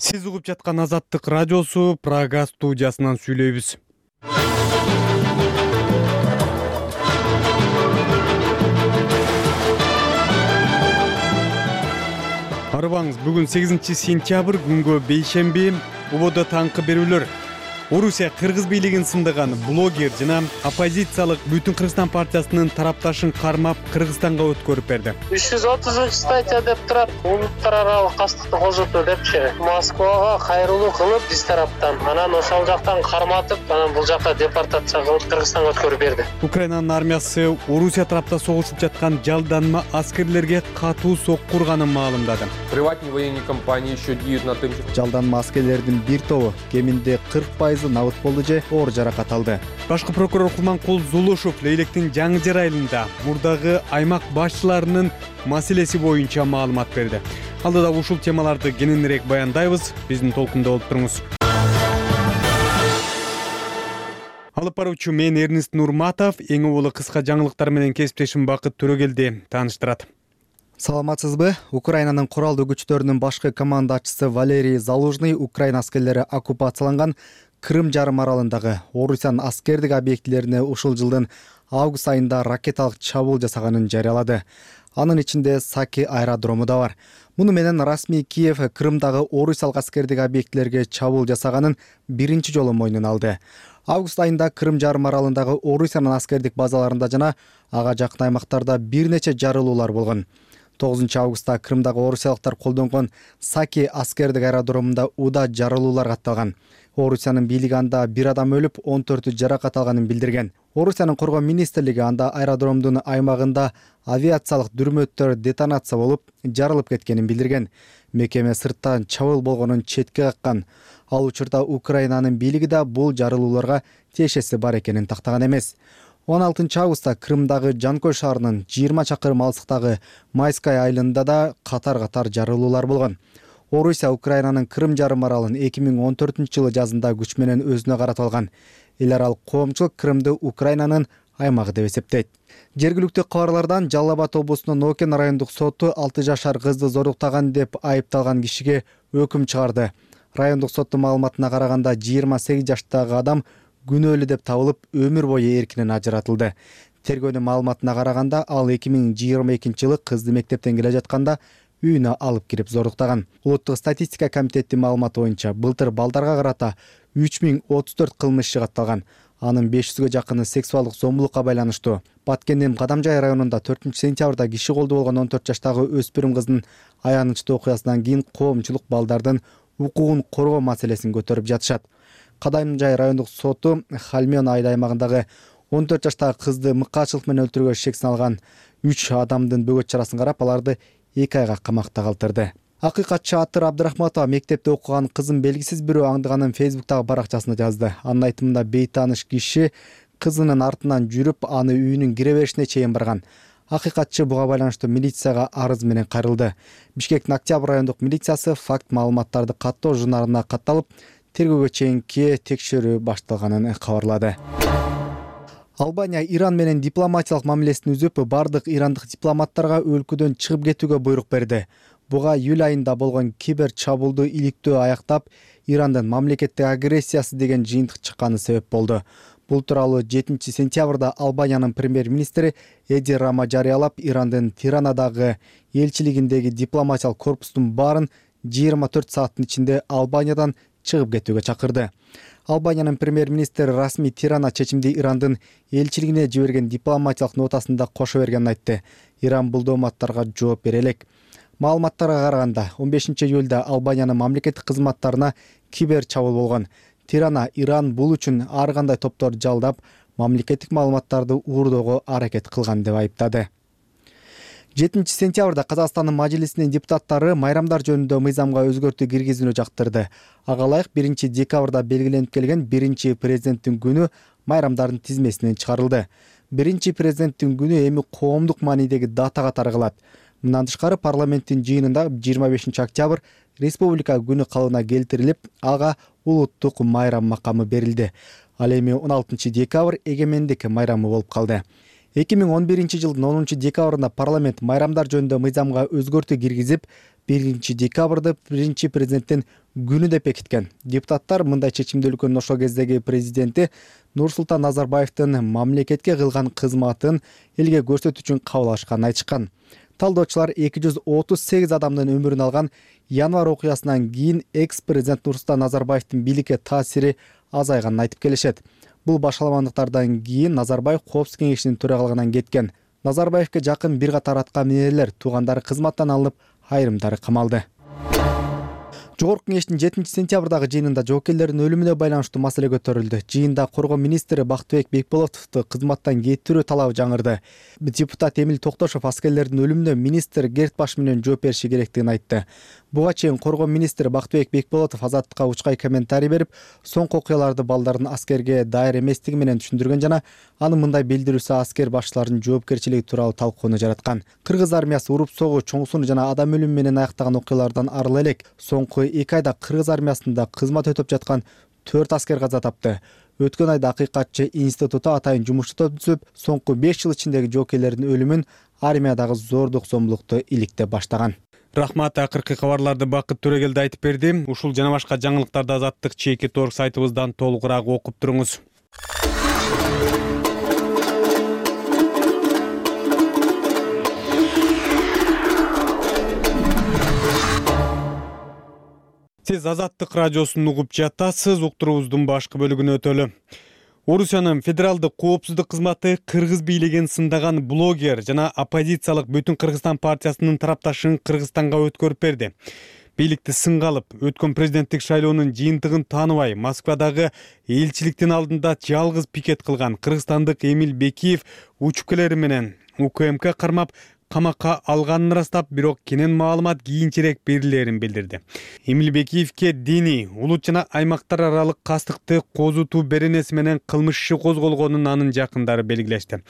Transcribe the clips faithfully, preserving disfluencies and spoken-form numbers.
Сиз угуп жаткан Азаттык радиосу Прага студиясынан сүйлөйбүз. Арыбаңыз, бүгүн сегизинчи сентябрь, күнгө бейшемби. Убодо таңкы берүүлөр. Орусия Кыргыз бийлигин сындаган блогер жана оппозициялык Бүтүн Кыргызстан партиясынын тарапташын кармап Кыргызстанга өткөрүп берди. үч жүз отузунчу статья деп турат, улуттар аралык кастыкты колжотуу депчи. Москвага кайрылуу кылып биз тараптан, анан ошол жактан карматып, анан бул жакка депортация кылып Кыргызстанга өткөрүп берди. Украинанын армиясы Орусия тарапта согушуп жаткан жалданма аскерлерге катуу сокку урганын маалымдады. Приватные военные компании еще деют на том, что жалданма аскерлердин бир тобу кеминде кырк пайыз набыт болду же оор жаракат алды. Башкы прокурор Кулманкул Зулушев Лейлектин жаңы жер айылында мурдагы аймак башчыларынын маселеси боюнча маалымат берди. Алдыда ушул темаларды кененирээк баяндайбыз. Биздин толкунда болуп туруңуз. Алып баруучу мен Эрнест Нурматов, эң улуу кыска жаңылыктар менен кесиптешим Бакыт Төрөгелди тааныштырат. Саламатсызбы? Украинанын куралдуу күчтөрүнүн башкы командачысы Валерий Залужный Украина аскерлери оккупацияланган Крым жарым аралындагы Орусиянын аскердик объектилерине ушул жылдын август айында ракеталык чабуул жасаганын жарыялады. Анын ичинде Саки аэродрому да бар. Муну менен расмий Киев Крымдагы орусиялык аскердик объектилерге чабуул жасаганын биринчи жолу мойнуна алды. Август айында Крым жарым аралындагы Орусиянын аскердик базаларында жана ага жакын аймактарда бир нече жарылуулар болгон. тогузунчу августта Крымдагы орусиялыктар колдонгон Саки аскердик аэродромунда уда жарылуулар катталган. Орусиянын бийлиги анда бир адам өлүп, он төртү жаракат алганын билдирген. Орусиянын коргоо министрлиги анда аэродромдун аймагында авиациялык дүрмөттөр детонация болуп, жарылып кеткенин билдирген. Мекеме сырттан чабуул болгонун четке каккан. Ал учурда Украинанын бийлиги да бул жарылууларга тиешеси бар экенин тактаган эмес. он алтынчы августта Крымдагы Жанкой шаарынын жыйырма чакырым алыстыктагы Майская айылында да катар-катар жарылуулар болгон. Орусия Украинанын Крым жарым аралын эки миң он төртүнчү жылы жазында күч менен өзүнө каратып алган. Эл аралык коомчулук Крымды Украинанын аймагы деп эсептейт. Жергиликтүү кабарлардан Жалал Абад облусунун Нокен райондук соту алты жашар кызды зоруктаган деп айыпталган кишиге өкүм чыгарды. Райондук соттун маалыматына караганда жыйырма сегиз жаштагы адам күнөөлүү деп табылып, өмүр бою эркинен ажыратылды. Тергөөнүн маалыматына караганда ал эки миң жыйырма экинчи жылы кызды мектептен келе жатканда үйүнө алып кирип зоруктаган. Улуттук статистика комитетинин маалыматы боюнча былтыр балдарга карата үч миң отуз төрт кылмыш катталган. Анын беш жүзгө жакыны сексуалдык зомбулукка байланыштуу. Баткендин Кадамжай районунда төртүнчү сентябрда киши колду болгон он төрт жаштагы өспүрүм кыздын аянычтуу окуясынан кийин коомчулук балдардын укугун коргоо маселесин көтөрүп жатышат. Кадамжай райондук соту Хальмён айыл аймагындагы он төрт жаштагы кызды мыкаачылык менен өлтүрүүгө шек салган үч адамдын бөгөт чарасын карап, аларды эки айга камакта калтырды. Акыйкатчы Атыр Абдрахматова мектепте окуган кызын белгисиз бирөө аңдыганын Фейсбуктагы баракчасына жазды. Анын айтымында бейтааныш киши кызынын артынан жүрүп, аны үйүнүн кире беришине чейин барган. Акыйкатчы буга байланыштуу милицияга арыз менен кайрылды. Бишкектин Октябрь райондук милициясы факт маалыматтарды каттоо журналына катталып, тергөөгө чейинки текшерүү башталганын кабарлады. Албания Иран менен дипломатиялык мамилесин үзүп, бардык ирандык дипломаттарга өлкөдөн чыгып кетүүгө буйрук берди. Буга июль айында болгон кибер чабуулду иликтөө аяктап, Ирандын мамлекеттик агрессиясы деген жыйынтык чыкканы себеп болду. Бул тууралуу жетинчи сентябрда Албаниянын премьер-министри Эди Рама жарыялап, Ирандын Тиранадагы элчилигиндеги дипломатиялык корпустун баарын жыйырма төрт сааттын ичинде Албаниядан чыгып кетүүгө чакырды. Албаниянын премьер-министри расмий Тирана чечимди Ирандын элчилигине жиберген дипломатиялык нотасында кошо бергенин айтты. Иран бул дооматтарга жооп бере элек. Маалыматтарга караганда, он бешинчи июлда Албаниянын мамлекеттик кызматтарына кибер чабуул болгон. Тирана Иран бул үчүн ар кандай топторду жалдап, мамлекеттик маалыматтарды уурдоого аракет кылган деп айыптады. жетинчи сентябрда Казакстандын Мажлисинин депутаттары майрамдар жөнүндө мыйзамга өзгөртүү киргизүүнү жактырды. Ага ылайык биринчи декабрда белгиленип келген биринчи президенттин күнү майрамдардын тизмесинен чыгарылды. Биринчи президенттин күнү эми коомдук маанидеги дата катары калат. Мындан тышкары парламенттин жыйынында жыйырма бешинчи октябрь республика күнү калыбына келтирилип, ага улуттук майрам макамы берилди. Ал эми он алтынчы декабрь эгемендик майрамы болуп калды. эки миң он биринчи жылдын онунчу декабрында парламент майрамдар жөнүндө мыйзамга өзгөртүү киргизип, биринчи декабрды биринчи президенттин күнү деп бекиткен. Депутаттар мындай чечимди өлкөнүн ошол кездеги президенти Нурсултан Назарбаевдин мамлекетке кылган кызматын элге көрсөтүү үчүн кабыл алышканын айтышкан. Талдоочулар эки жүз отуз сегиз адамдын өмүрүн алган январь окуясынан кийин экс-президент Нурсултан Назарбаевдин бийликке таасири азайганын айтып келишет. Бул башаламандыктардан кийин Назарбаев Коопсуздук кеңешинин төрагалыгынан кеткен. Назарбаевке жакын бир катар аткаминерлер туугандары кызматтан алынып, айрымдары камалды. Жогорку кеңештин жетинчи сентябрдагы жыйынында жоокерлердин өлүмүнө байланыштуу маселе көтөрүлдү. Жыйында коргоо министри Бактыбек Бекболотовду кызматтан кетирүү талабы жаңырды. Депутат Эмил Токтошов аскерлердин өлүмүнө министр Гертбаш менен жооп бериши керектигин айтты. Буга чейин коргоо министри Бактыбек Бекболотов Азаттыкка учкай комментарий берип, соңку окуяларды балдардын аскерге дайыр эместиги менен түшүндүргөн жана анын мындай билдирүүсү аскер башчыларынын жоопкерчилиги тууралуу талкууну жараткан. Кыргыз армиясы уруп согуу, чоңсун жана адам өлүмү менен аяктаган окуялардан арыла элек. Соңку эки айда Кыргыз армиясында кызмат өтөп жаткан төрт аскер каза тапты. Өткөн айда Акыйкатчы институту атайын жумушчу топ түзүп, соңку беш жыл ичиндеги жоокерлердин өлүмүн армиядагы зордук зомбулукту иликтеп баштаган. Рахмат, акыркы кабарларды Бакыт Төрөгелди айтып берди. Ушул жана башка жаңылыктарды Азаттык чекит точка орг сайтыбыздан толугураак окуп туруңуз. Сиз Азаттык радиосун угуп жатасыз. Уктуруубуздун башкы бөлүгүнө өтөлү. Орусиянын федералдык коопсуздук кызматы Кыргыз бийлигин сындаган блогер жана оппозициялык Бүтүн Кыргызстан партиясынын тарапташын Кыргызстанга өткөрүп берди. Бийликти сынга алып, өткөн президенттик шайлоонун жыйынтыгын тааныбай, Москвадагы элчиликтин алдында жалгыз пикет кылган кыргызстандык Эмил Бекиев учкелери менен УКМК кармап камакка алганын ырастап, бирок кенен маалымат кийинчерээк берилерин билдирди. Эмил Бекиевке диний, улут жана аймактар аралык кастыкты козутуу беренеси менен кылмыш иши козголгонун анын жакындары белгилешти.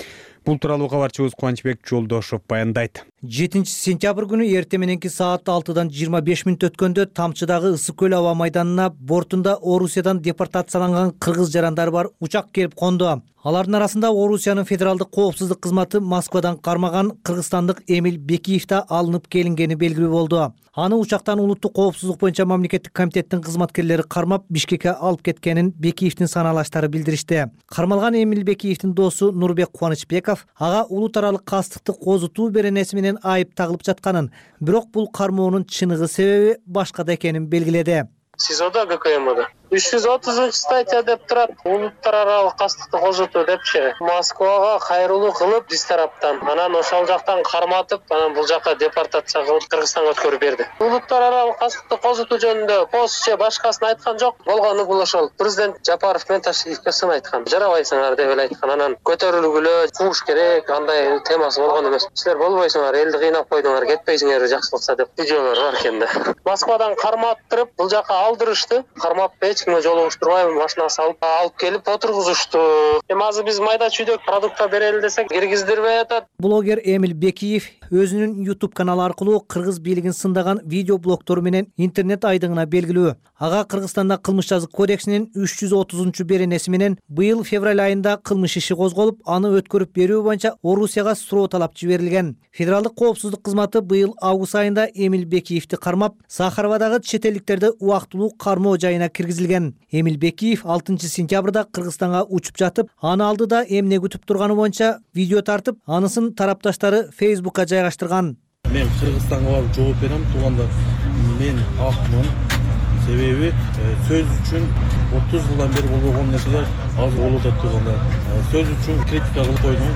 Бул тууралуу кабарчыбыз Кубанычбек Жолдошов баяндайт. жетинчи сентябрь күнү эртең мененки саат алтыдан жыйырма беш мүнөт өткөндө Тамчыдагы Ысык көл аба майданына бортунда Орусиядан депортацияланган кыргыз жарандары бар учак келип конду. Алардын арасында Орусиянын федералдык коопсуздук кызматы Москвадан кармаган кыргызстандык Эмил Бекиев да алынып келингени белгилүү болду. Аны учактан улуттук коопсуздук боюнча мамлекеттик комитеттин кызматкерлери кармап Бишкекке алып кеткенин Бекиевдин санаалаштары билдиришти. Кармалган Эмил Бекиевдин досу Нурбек Кубанычбеков ага улут аралык кастыкты козутуу беренеси менен айып тагылып жатканын, бирок бул кармоонун чыныгы себеби башкада экенин белгиледи. СИЗОдо ГКМдо үч жүз отузунчу статья деп турат. Улуттар аралык кастыкты козутуу депчи. Москвага кайрылуу кылып биз тараптан, анан ошол жактан карматып, анан бул жакка депортация кылып Кыргызстанга өткөрүп берди. Улуттар аралык кастыкты козутуу жөнүндө пост же башкасын айткан жок. Болгону бул ошол президент Жапаров менен Ташиевке сын айткан. Жарабайсыңар деп эле айткан. Анан көтөрүлгүлө, кууш керек, андай темасы болгон эмес. Силер болбойсуңар, элди кыйнап койдуңар, кетпейсиңер жакшылыкса деп видеолор бар экен да. Москвадан карматтырып, бул жакка алдырышты. Кармап эч кимге жолугуштурбай машина салып алып келип отургузушту. Эми азыр биз майда чүйдөк продукта берели десек киргиздирбей атат. Блогер Эмил Бекиев өзүнүн YouTube каналы аркылуу кыргыз бийлигин сындаган видео блогтору менен интернет айдыңына белгилүү. Ага Кыргызстанда кылмыш жазык кодексинин үч жүз отузунчу беренеси менен быйыл февраль айында кылмыш иши козголуп, аны өткөрүп берүү боюнча Орусияга суроо талап жиберилген. Федералдык коопсуздук кызматы быйыл август айында Эмил Бекиевди кармап, Сахаровадагы чет элдиктерди убактылуу кармоо жайына киргизилген. Эмил Бекиев алтынчы сентябрда Кыргызстанга учуп жатып, аны алдыда эмне күтүп турганы боюнча видео тартып, анысын тарапташтары Facebookка жайгаштырган. Мен Кыргызстанга барып жооп берем, туугандар. Мен акмын. Себеби сөз үчүн отуз жылдан бери болбогон нерселер азыр болуп атат туугандар. Сөз үчүн критика кылып койдум.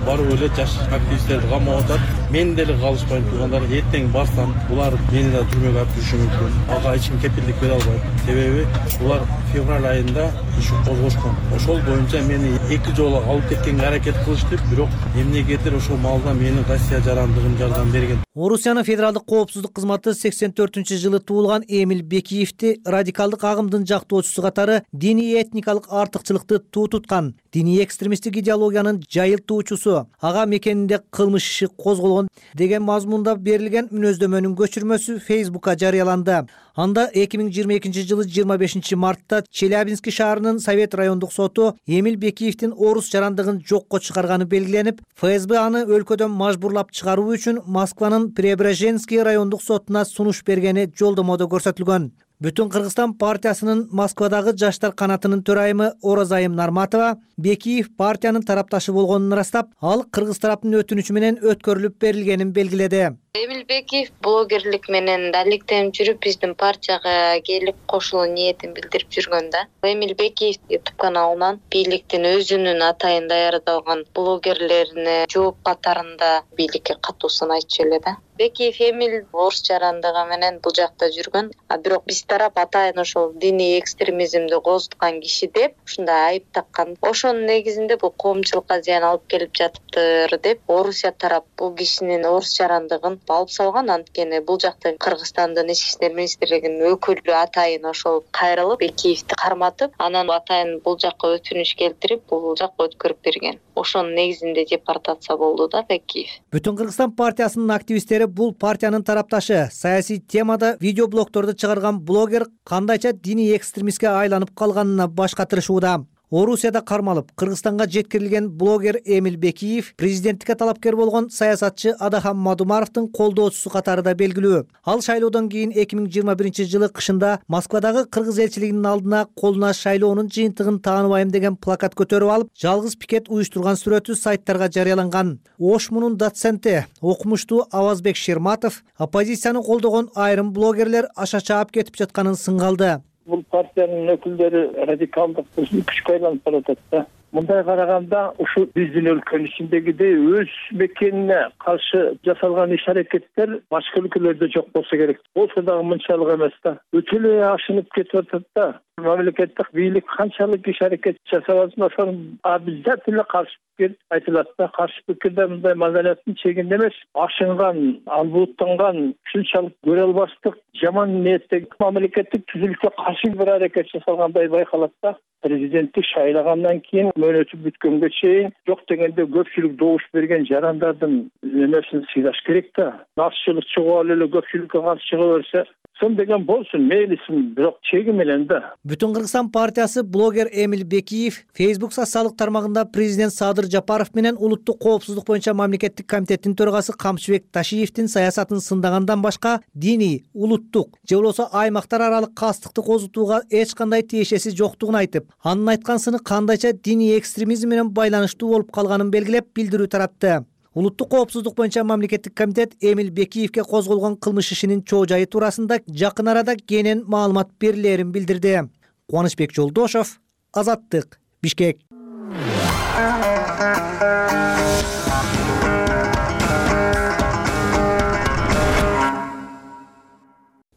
Барып эле жаш активисттерди камап атат. Мен деле калышпайм туугандар. Эртең барсам, булар мени да түрмөгө алып жүрүшү мүмкүн. Ага эч ким кепилдик бере албайт. Себеби булар февраль айында иш козгошкон. Ошол боюнча мени эки жолу алып кеткенге аракет кылышты, бирок эмнегедир ошол маалда менин Россия жарандыгым жардам берген. Орусиянын федералдык коопсуздук кызматы сексен төртүнчү жылы туулган Эмил Бекиевди радикалдык агымдын жактоочусу катары диний этникалык артыкчылыкты туу туткан. диний экстремисттик идеологиянын жайылтуучусу, ага мекенинде кылмыш иши козголгон деген мазмунда берилген мүнөздөмөнүн көчүрмөсү Фейсбукка жарыяланды. Анда эки миң жыйырма экинчи жылы жыйырма бешинчи мартта Челябинский шаарынын Совет райондук соту Эмиль Бекиевдин орус жарандыгын жокко чыгарганы белгиленип, ФСБ аны өлкөдөн мажбурлап чыгаруу үчүн Москванын Преображенский райондук сотуна сунуш бергени жолдомодо көрсөтүлгөн. Бүтүн Кыргызстан партиясынын Москвадагы жаштар канатынын төрайымы Оразайым Нарматова Бекиев партиянын тарапташы болгонун ырастап, ал кыргыз тараптын өтүнүчү менен өткөрүлүп берилгенин белгиледи. Эмиль Бекиев блогерлик менен далилденип жүрүп, биздин партияга келип кошулуу ниетин билдирип жүргөн да. Эмиль Бекиев YouTube каналынан бийликтин өзүнүн атайын даярдалган блогерлерине жооп катарында бийликке катуусун айтчу эле да. Бекиев Эмиль орус жарандыгы менен бул жакта жүргөн, а бирок биз тарап атайын ошол диний экстремизмди козуткан киши деп ушундай айып таккан. Ошонун негизинде бул коомчулукка зыян алып келип жатыптыр деп Орусия тарап бул кишинин орус жарандыгын алып салган. Анткени бул жакта Кыргызстандын ички иштер министрлигинин өкүлү атайын ошол кайрылып Бекиевди карматып, анан атайын бул жакка өтүнүч келтирип, бул жакка өткөрүп берген. Ошонун негизинде депортация болду да Бекиев. Бүтүн Кыргызстан партиясынын активисттери бул партиянын тарапташы, саясий темада видеоблогторду чыгарган блогер кандайча диний экстремистке айланып калганына баш катырышууда. Орусияда кармалып, Кыргызстанга жеткирилген блогер Эмиль Бекиев президенттикке талапкер болгон саясатчы Адахан Мадумаровдун колдоочусу катарында белгилүү. Ал шайлоодон кийин эки миң жыйырма биринчи жылы кышында Москвадагы кыргыз элчилигинин алдына колуна шайлоонун жыйынтыгын тааныбайм деген плакат көтөрүп алып, жалгыз пикет уюштурган сүрөтү сайттарга жарыяланган. Ошмунун доценти, окумуштуу Авазбек Шерматов оппозицияны колдогон айрым блогерлер аша чаап кетип жатканын сынгалды. Бул партиянын өкүлдөрү радикалдык күчкө айланып баратат да. Мындай караганда ушу биздин өлкөнүн ичиндегидей өз мекенине каршы жасалган иш-аракеттер башка өлкөлөрдө жок болсо керек. Болсо дагы мынчалык эмес да. Өтө эле ашынып кетип атат да. Мамлекеттик бийлик канчалык иш-аракет жасап атса, ошону обязательно каршы пикир айтылат да. Каршы пикирде мындай маданияттын чегинде эмес, ашынган, албуттанган, ушунчалык көрө албастык, жаман ниеттеги мамлекеттик түзүлүшкө каршы бир аракет жасалгандай байкалат да. Президенттик шайлагандан кийин мөөнөтү бүткөнгө чейин жок дегенде көпчүлүк добуш берген жарандардын эмесин сыйлаш керек да. Азчылык чыгып алып эле көпчүлүккө каршы чыга берсе, сон деген болсун, мейлисин, бирок чеги менен да. Бүтүн Кыргызстан партиясы блогер Эмиль Бекиев Facebook социалдык тармагында президент Садыр Жапаров менен улуттук коопсуздук боюнча мамлекеттик комитеттин төрагасы Камчыбек Ташиевдин саясатын сындагандан башка диний, улуттук же болбосо аймактар аралык кастыкты козутууга эч кандай тиешеси жоктугун айтып, анын айткансыны кандайча диний экстремизм менен байланыштуу болуп калганын белгилеп билдирүү таратты. Улуттук коопсуздук боюнча мамлекеттик комитет Эмиль Бекиевке козголгон кылмыш ишинин чоо жайы туурасында жакын арада кенен маалымат берилерин билдирди. Кубанычбек Жолдошов, Азаттык, Бишкек.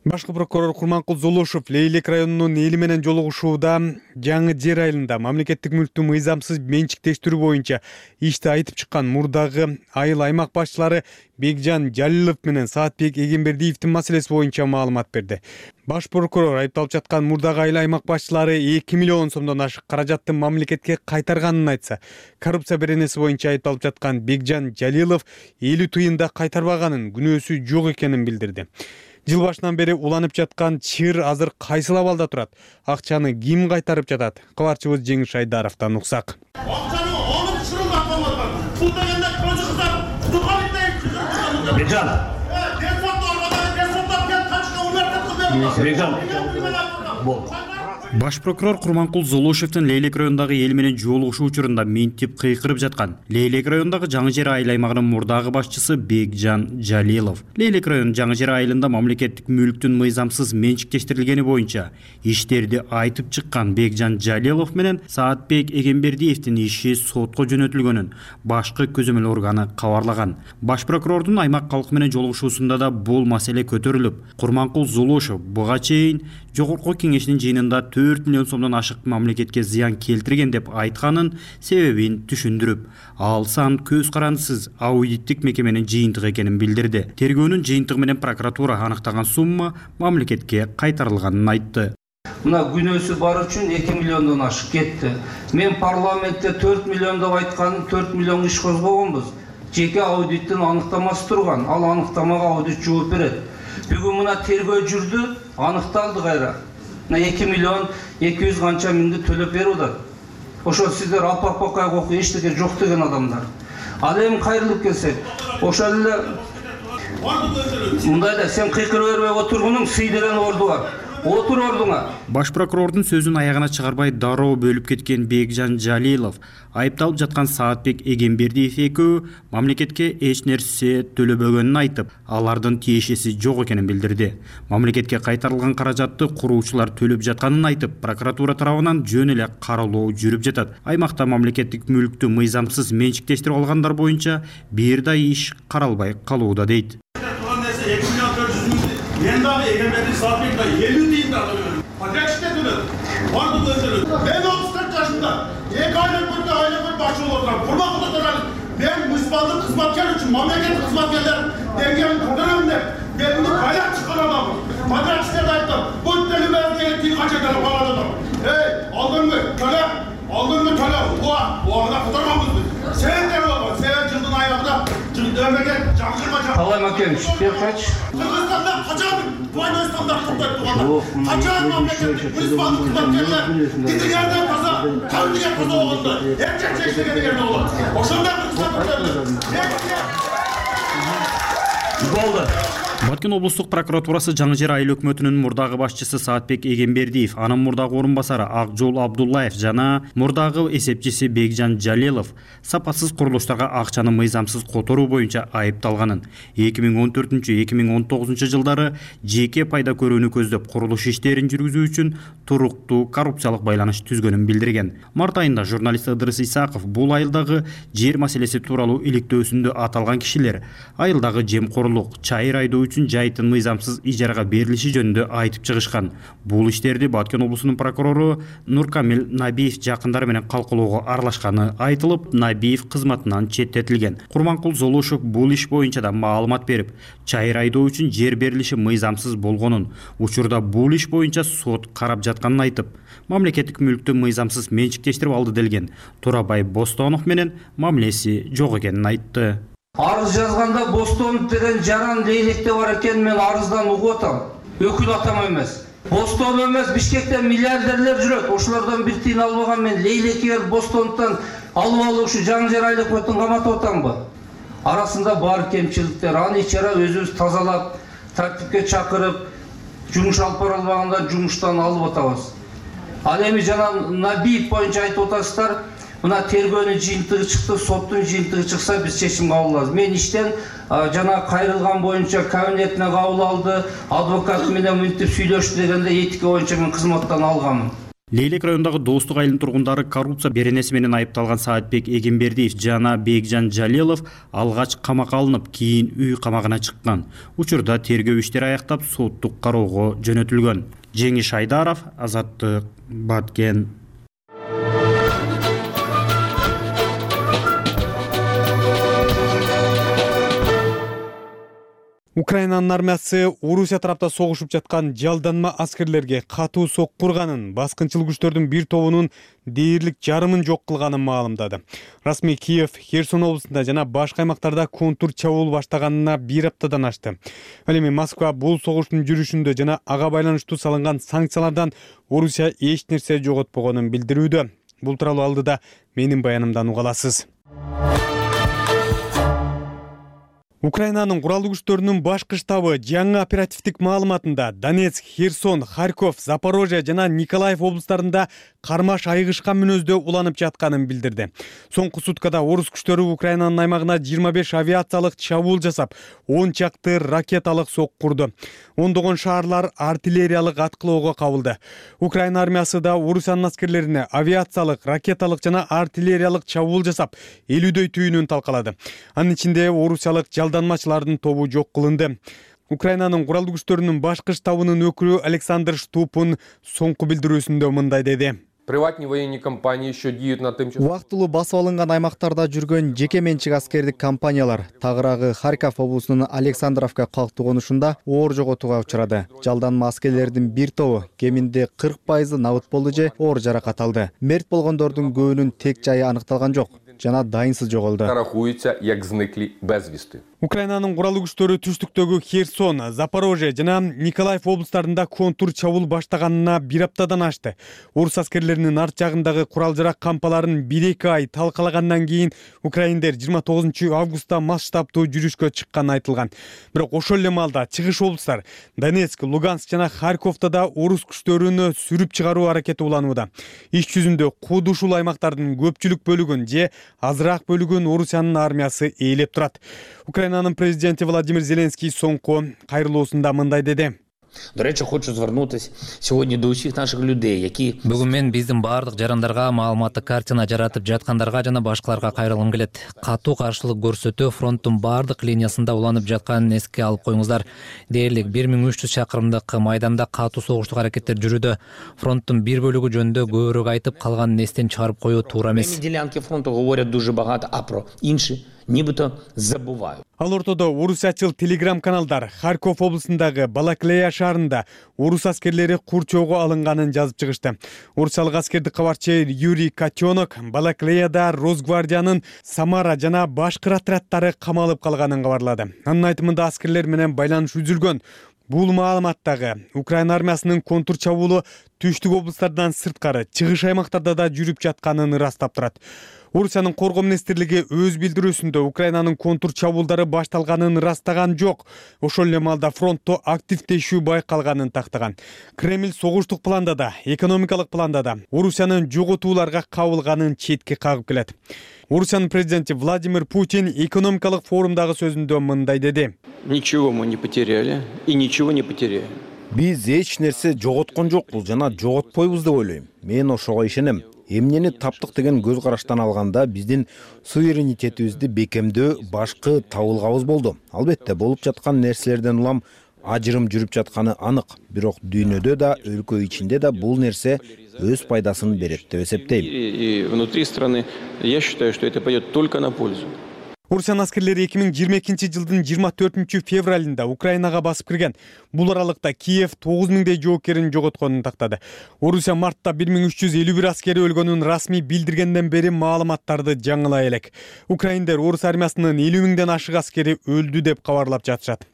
Башкы прокурор Курманкул Золошов Лейлек районунун эли менен жолугушууда Жаңы Жер айылында мамлекеттик мүлктү мыйзамсыз менчиктештирүү боюнча ишти айтып чыккан мурдагы айыл аймак башчылары Бекжан Жалилов менен Саатбек Эгембердиевдин маселеси боюнча маалымат берди. Баш прокурор айыпталып жаткан мурдагы айыл аймак башчылары эки миллион сомдон ашык каражатты мамлекетке кайтарганын айтса, коррупция беренеси боюнча айыпталып жаткан Бекжан Жалилов элүү тыйын да кайтарбаганын, күнөөсү жок экенин билдирди. Жыл башынан бери уланып жаткан чыр азыр кайсыл абалда турат? Акчаны ким кайтарып жатат? Кабарчыбыз Жеңиш Айдаровдон уксак. Акчаны алып чырылдап калган. Бул дегенде көзү кыздар, кутукан итек Бекжан. Бекжан. Баш прокурор Курманкул Золошевдин Лейлек районундагы эл менен жолугушуу учурунда минтип кыйкырып жаткан Лейлек районундагы Жаңы Жер айыл аймагынын мурдагы башчысы Бекжан Жалилов Лейлек районунун Жаңы Жер айылында мамлекеттик мүлктүн мыйзамсыз менчиктештирилгени боюнча иштерди айтып чыккан Бекжан Жалилов менен Саатбек Эгембердиевдин иши сотко жөнөтүлгөнүн башкы көзөмөл органы кабарлаган. Баш прокурордун аймак калкы менен жолугушуусунда да бул маселе көтөрүлүп, Курманкул Золошев буга чейин Жогорку кеңешинин жыйынында төрт миллион сомдон ашык мамлекетке зыян келтирген деп айтканын себебин түшүндүрүп, ал сан көз карандысыз аудиттик мекеменин жыйынтыгы экенин билдирди. Тергөөнүн жыйынтыгы менен прокуратура аныктаган сумма мамлекетке кайтарылганын айтты. мына күнөөсү бар үчүн эки миллиондон ашык кетти. Мен парламентте төрт миллион деп айтканым, төрт миллион иш козгогонбуз. Жеке аудиттин аныктамасы турган, ал аныктамага аудит жооп берет. Бүгүн мына тергөө жүрдү, аныкталды кайра. Мына эки миллион эки жүз канча миңди төлөп берип атат. Ошо сиздер алпак бакай окуп эчтеке жок деген адамдар. Ал эми кайрылып келсек, ошол эле мындайда сен кыйкырып бербей отургунуң сый деген орду бар. Отур ордуңа. Баш прокурордун сөзүн аягына чыгарбай дароо бөлүп кеткен Бекжан Жалилов айыпталып жаткан Саатбек Эгембердиев экөө мамлекетке эч нерсе төлөбөгөнүн айтып, алардын тиешеси жок экенин билдирди. Мамлекетке кайтарылган каражатты куруучулар төлөп жатканын айтып, прокуратура тарабынан жөн эле каралоо жүрүп жатат. Аймакта мамлекеттик мүлктү мыйзамсыз менчиктештирип алгандар боюнча бир да иш каралбай калууда дейт. Мен дагы Эгембердиев Саатбек да элүү тыйын да төлөдүм. Подрядчиктер төлөдү. Бардыгы төлөдү. Мен отуз төрт жашымда эки айлык көрдө айлык көрдө башчы болуп отурам. Курмак отурам. Мен муниципалдык кызматкер үчүн мамлекеттик кызматкерлер деңгээлин көтөрөм деп мени байлап чыккан адаммын. Подрядчиктер айттым. Бу төлөмөй деген тыйын канча төлөп калат. Эй, алдыңгы төлө, алдыңгы төлө. Уа, уагына которганбыз биз. Сен деп болгон, сен жылдын аягында мемлекет жаңжырма жак. Талай Макенович, бер кайчы. Кыргызстанда качан двойной стандарт кылып тургандар? Качан мамлекет муниципалдык кызматкерлер титигерден таза, кандыгер таза болгондо, эркек чечтеген жерде болот. Ошондо Кыргызстан болду. Баткен облустук прокуратурасы Жаңы Жер айыл өкмөтүнүн мурдагы башчысы Саатбек Эгембердиев, анын мурдагы орун басары Акжол Абдуллаев жана мурдагы эсепчиси Бекжан Жалилов сапасыз курулуштарга акчаны мыйзамсыз которуу боюнча айыпталганын, эки миң он төртүнчү эки миң он тогузунчу жылдары жеке пайда көрүүнү көздөп курулуш иштерин жүргүзүү үчүн туруктуу коррупциялык байланыш түзгөнүн билдирген. Март айында журналист Ыдырыс Исаков бул айылдагы жер маселеси тууралуу иликтөөсүндө аталган кишилер айылдагы жемкорлук, чайыр айдоо үчүн жайыттын мыйзамсыз ижарага берилиши жөнүндө айтып чыгышкан. Бул иштерди Баткен облусунун прокурору Нуркамил Набиев жакындары менен калкылоого аралашканы айтылып, Набиев кызматынан четтетилген. Курманкул Золушев бул иш боюнча да маалымат берип, чайыр айдоо үчүн жер берилиши мыйзамсыз болгонун, учурда бул иш боюнча сот карап жатканын айтып, мамлекеттик мүлктү мыйзамсыз менчиктештирип алды делген. Турабай Бостонов менен мамилеси жок экенин айтты. Арыз жазганда Бостонов деген жаран лейлекте бар экен, мен арыздан угуп атам. Өкүл атам эмес. Бостонов эмес, Бишкектен миллиардерлер жүрөт. Ошолордон бир тыйын албаган мен лейлекер Бостоновдон алып алып ушу Жаңы Жер айыл өкмөтүн каматып атамбы? Арасында бар кемчиликтер. Аны ичара өзүбүз тазалап, тартипке чакырып, жумуш алып бара албаганда жумуштан алып атабыз. Ал эми жана Набиев боюнча айтып атасыздар. Мына тергөөнүн жыйынтыгы чыкты, соттун жыйынтыгы чыкса биз чечим кабыл алабыз. Мен иштен жана кайрылган боюнча кабинетине кабыл алды, адвокат менен мынтип сүйлөштү дегенде этика боюнча мен кызматтан алганмын. Лейлек районундагы Достук айылынын тургундары коррупция беренеси менен айыпталган Саатбек Эгембердиев жана Бекжан Жалилов алгач камакка алынып, кийин үй камагына чыккан. Учурда тергөө иштери аяктап соттук кароого жөнөтүлгөн. Жеңиш Айдаров, Азаттык, Баткен. Украинанын армиясы Орусия тарапта согушуп жаткан жалданма аскерлерге катуу сокку урганын, баскынчыл күчтөрдүн бир тобунун дээрлик жарымын жок кылганын маалымдады. Расмий Киев, Херсон облусунда жана башка аймактарда контур чабуул баштаганына бир аптадан ашты. Ал эми Москва бул согуштун жүрүшүндө жана ага байланыштуу салынган санкциялардан Орусия эч нерсе жоготпогонун билдирүүдө. Бул тууралуу алдыда менин баянымдан уга аласыз. Украинанын куралдуу күчтөрүнүн башкы штабы жаңы оперативдик маалыматында Донецк, Херсон, Харьков, Запорожье жана Николаев облустарында кармаш айыгышкан мүнөздө уланып жатканын билдирди. Соңку суткада орус күчтөрү Украинанын аймагына жыйырма беш авиациялык чабуул жасап, он чакты ракеталык сокку урду. Ондогон шаарлар артиллериялык аткылоого кабылды. Украина армиясы да Орусиянын аскерлерине авиациялык, ракеталык жана артиллериялык чабуул жасап, элүүдөй түйүнүн талкалады. Анын ичинде Орусиялык жалданмачылардын тобу жок кылынды. Украинанын куралдуу күчтөрүнүн башкы штабынын өкүлү Александр Штупун соңку билдирүүсүндө мындай деди. Приватные военные компании еще деют на тем, Убактылуу басып алынган аймактарда жүргөн жеке менчик аскердик компаниялар тагыраагы Харьков облусунун Александровка калктуу конушунда оор жоготууга учурады. Жалданма аскерлердин бир тобу кеминде кырк пайызы набыт болду же оор жаракат алды. Мерт болгондордун көбүнүн тек жайы аныкталган жок жана дайынсыз жоголду. рахуются, як зникли безвісти. Украинанын куралдуу күчтөрү түштүктөгү Херсон, Запорожье жана Николаев облустарында контур чабуул баштаганына бир аптадан ашты. Орус аскерлеринин арт жагындагы курал-жарак кампаларын бир эки ай талкалагандан кийин украиндер жыйырма тогузунчу августта масштабтуу жүрүшкө чыкканы айтылган. Бирок ошол эле маалда чыгыш облустар Донецк, Луганск жана Харьковдо да орус күчтөрүнө сүрүп чыгаруу аракети уланууда. Иш жүзүндө кууд ушул аймактардын көпчүлүк бөлүгүн же азыраак бөлүгүн Орусиянын армиясы ээлеп турат. Украинанын президенти Владимир Зеленский соңку кайрылуусунда мындай деди. До речі, хочу звернутися сьогодні до усіх наших людей, які... Бүгін мен биздин бардык жарандарга маалыматтык картина жаратып жаткандарга жана башкаларга кайрылгым келет. Катуу каршылык көрсөтүү фронттун бардык линиясында уланып жатканын эске алып коюңуздар. Дээрлик бир миң үч жүз чакырымдык майданда катуу согуштук аракеттер жүрүүдө. Фронттун бир бөлүгү жөнүндө көбүрөөк айтып, калганын эстен чыгарып коюу туура эмес. Ділянки фронту говорять дуже багато, а про інші нібито забувають. Ал ортодо орусячыл телеграм-каналдар Харьков облусундагы Балаклея шаарында орус аскерлери курчоого алынганын жазып чыгышты. Орусиялык аскердик кабарчы Юрий Котенок Балаклеяда Росгвардиянын Самара жана башкы отряддары камалып калганын кабарлады. Анын айтымында аскерлер менен байланыш үзүлгөн. Бул маалыматтагы Украина армиясынын контур чабуулу түштүк облустардан сырткары чыгыш аймактарда да жүрүп жатканын ырастап турат. Орусиянын коргоо министрлиги өз билдирүүсүндө Украинанын контур чабуулдары башталганын ырастаган жок. Ошол эле маалда фронтто активдешүү байкалганын тактаган. Кремль согуштук планда да, экономикалык планда да Орусиянын жоготууларга кабылганын четке кагып келет. Орусиянын президенти Владимир Путин экономикалык форумдагы сөзүндө мындай деди. Ничего мы не потеряли и ничего не потеряем. Биз эч нерсе жоготкон жокпуз жана жоготпойбуз деп ойлойм. Мен ошого ишенем. Эмнени таптык деген көз караштан алганда биздин суверенитетибизди бекемдөө башкы табылгабыз болду. Албетте болуп жаткан нерселерден улам ажырым жүрүп жатканы анык. Бирок дүйнөдө да, өлкө ичинде да бул нерсе өз пайдасын берет деп эсептейм. И внутри страны я считаю, что это пойдет только на пользу. Орусиянын аскерлери эки миң жыйырма экинчи жылдын жыйырма төртүнчү февралында Украинага басып кирген. Бул аралыкта Киев тогуз миңдей жоокерин жоготконун тактады. Орусия мартта бир миң үч жүз элүү бир аскери өлгөнүн расмий билдиргенден бери маалыматтарды жаңылай элек. Украиндер орус армиясынын элүү миңден ашык аскери өлдү деп кабарлап жатышат.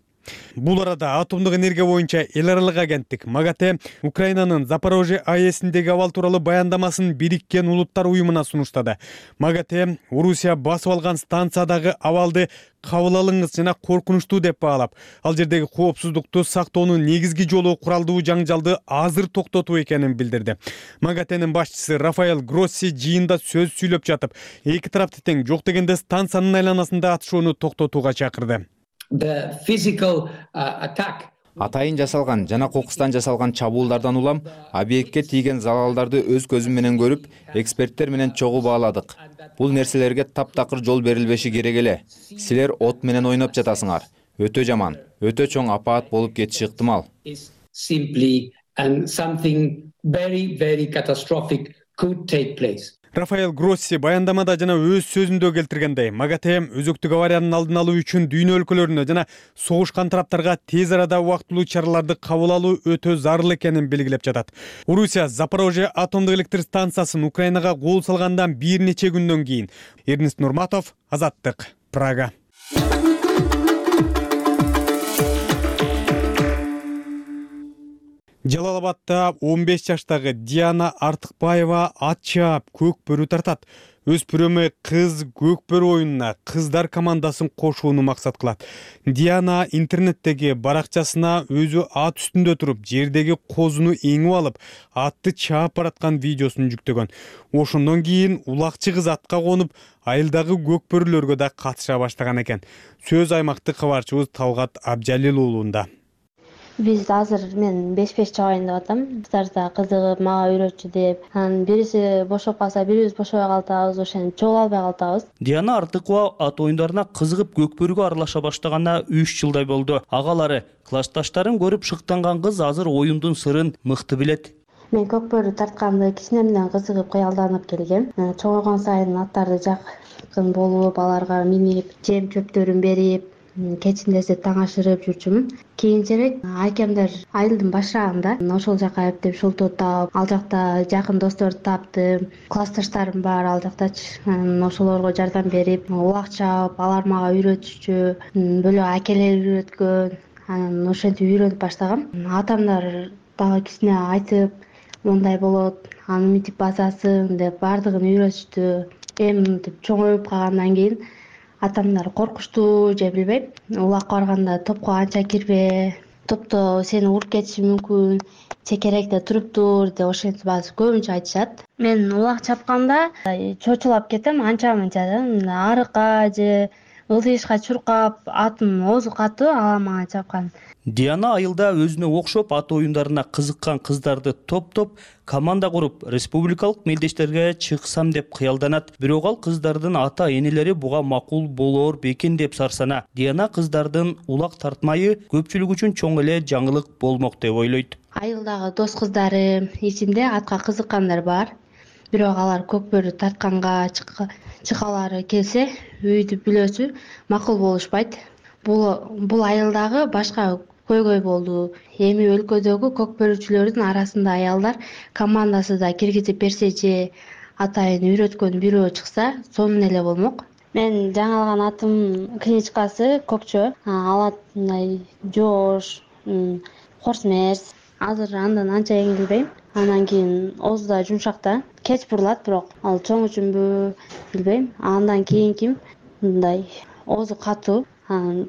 Бул арада атомдук энергия боюнча эл аралык агенттик МАГАТЭ Украинанын Запорожье АЭСиндеги абал тууралуу баяндамасын Бириккен Улуттар уюмуна сунуштады. МАГАТЭ Орусия басып алган станциядагы абалды кабыл алыңыз жана коркунучтуу деп баалап, ал жердеги коопсуздукту сактоонун негизги жолу куралдуу жаңжалды азыр токтотуу экенин билдирди. МАГАТЭнин башчысы Рафаэль Гросси жыйында сөз сүйлөп жатып, эки тарапты тең жок дегенде станциянын айланасында атышууну токтотууга чакырды. The physical uh, attack. Атайын жасалган жана кокустан жасалган чабуулдардан улам объектке тийген залалдарды өз көзүм менен көрүп, эксперттер менен чогуу бааладык. Бул нерселерге таптакыр жол берилбеши керек эле. Силер от менен ойноп жатасыңар. Өтө жаман, өтө чоң апаат болуп кетиши ыктымал. Simply and something very very catastrophic could take place. Рафаэль Гросси баяндамада жана өз сөзүндө келтиргендей, МАГАТЭ өзөктүк авариянын алдын алуу үчүн дүйнө өлкөлөрүнө жана согушкан тараптарга тез арада убактылуу чараларды кабыл алуу өтө зарыл экенин белгилеп жатат. Орусия Запорожье атомдук электр станциясын Украинага кол салгандан бир нече күндөн кийин. Эрнест Нурматов, Азаттык, Прага. Жалал-Абадта он беш жаштагы Диана Артыкбаева ат чаап көк бөрү тартат. Өз пүрөмө кыз көк бөрү оюнуна кыздар командасын кошууну максат кылат. Диана интернеттеги баракчасына өзү ат үстүндө туруп, жердеги козуну эңип алып, атты чаап бараткан видеосун жүктөгөн. Ошондон кийин улакчы кыз атка конуп, айылдагы көк бөрүлөргө да катыша баштаган экен. Сөз аймактык кабарчыбыз Талгат Абжалил уулунда. Биз азыр мен беш беш чыгайын деп атам. Кыздарда кызыгып, мага үйрөтчү деп. Анан бириси бошоп калса, бирибиз бошобой калтабыз, ошентип чогуу албай калтабыз. Диана Артыкова ат оюндарына кызыгып көкбөрүгө аралаша баштаганына үч жылдай болду. Агалары, классташтарын көрүп шыктанган кыз азыр оюндун сырын мыкты билет. Мен көкбөрү тартканды кичинемден кызыгып кыялданып келгем. Чоңойгон сайын аттарды жакын болуп, аларга минип, жем чөптөрүн берип, кечиндесе таң ашырып жүрчүмүн. Кийинчерээк акемдер айылдын башырагында ошол жака эптеп шултуутап, ал жакта жакын досторду таптым. Классташтарым бар ал жактачы. Ошолорго жардам берип, улак чаап, алар мага үйрөтүчү, бөлөк акелер үйрөткөн. Анан ошентип үйрөнүп баштагам. Атамдар дагы кичине айтып, мындай болот, аны мынтип басасың деп бардыгын үйрөтүштү. Эми мынтип чоңоюп калгандан кийин атамдар коркуштуу же билбейм, улакка барганда топко анча кирбе, топто сени уруп кетиши мүмкүн, чекеректе туруп тур деп ошентип азыр көбүнчө айтышат. Мен улак чапканда чочулап кетем, анча мынча да арыкка же ылдыйышка чуркап, атым оозу катуу, ала мага чапкан. Диана айылда өзүнө окшоп ат оюндарына кызыккан кыздарды топтоп, команда куруп, республикалык мелдештерге чыксам деп кыялданат. Бирок ал кыздардын ата-энелери буга макул болоор бекен деп сарсана. Диана кыздардын улак тартмайы көпчүлүк үчүн чоң эле жаңылык болмок деп ойлойт. Айылдагы дос кыздарым ичинде атка кызыккандар бар. Бирок алар көкбөрү тартканга чыкалары келсе, үйдү бүлөсү макул болушпайт. Бул бул айылдагы башка көйгөй болду. Эми өлкөдөгү көкбөрүчүлөрдүн арасында аялдар командасы да киргизип берсе же атайын үйрөткөн бирөө чыкса, сонун эле болмок. Мен жаңы алган атым книжкасы көкчө. Алат мындай жоош, хорсмерс. Азыр андан анча эңилбейм. Анан кийин оозу да жумшак, кеч бурулат, бирок ал чоң үчүнбү билбейм. Андан кийинки мындай оозу катуу.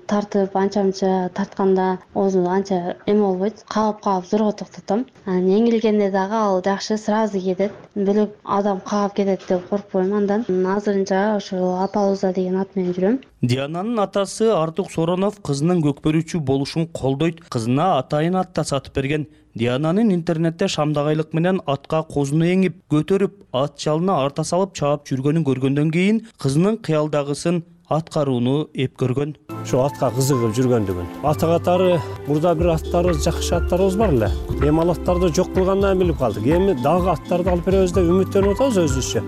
Тартып анча-мынча тартканда оозу анча эме болбойт. Каап-каап зорго токтотом. Анан эңилгенде дагы ал жакшы сразу кетет. Бөлөк адам каап кетет деп коркпойм андан. Азырынча ошо Апалуза деген ат менен жүрөм. Диананын атасы Артук Соронов кызынын көкбөрүчү болушун колдойт. Кызына атайын ат да сатып берген. Диананын интернетте шамдагайлык менен атка козуну эңип, көтөрүп, ат жалына арта салып чаап жүргөнүн көргөндөн кийин кызынын кыялдагысын аткарууну эп көргөн. Şu atка кызыгып жүргөндүгүн. Ата катары мурда бир аттары жакшы аттарыбыз бар эле. Эми ал аттарды жок кылгандан билип калдык. Эми дагы аттарды алып беребиз деп үмүттөнүп атабыз өзүбүзчө.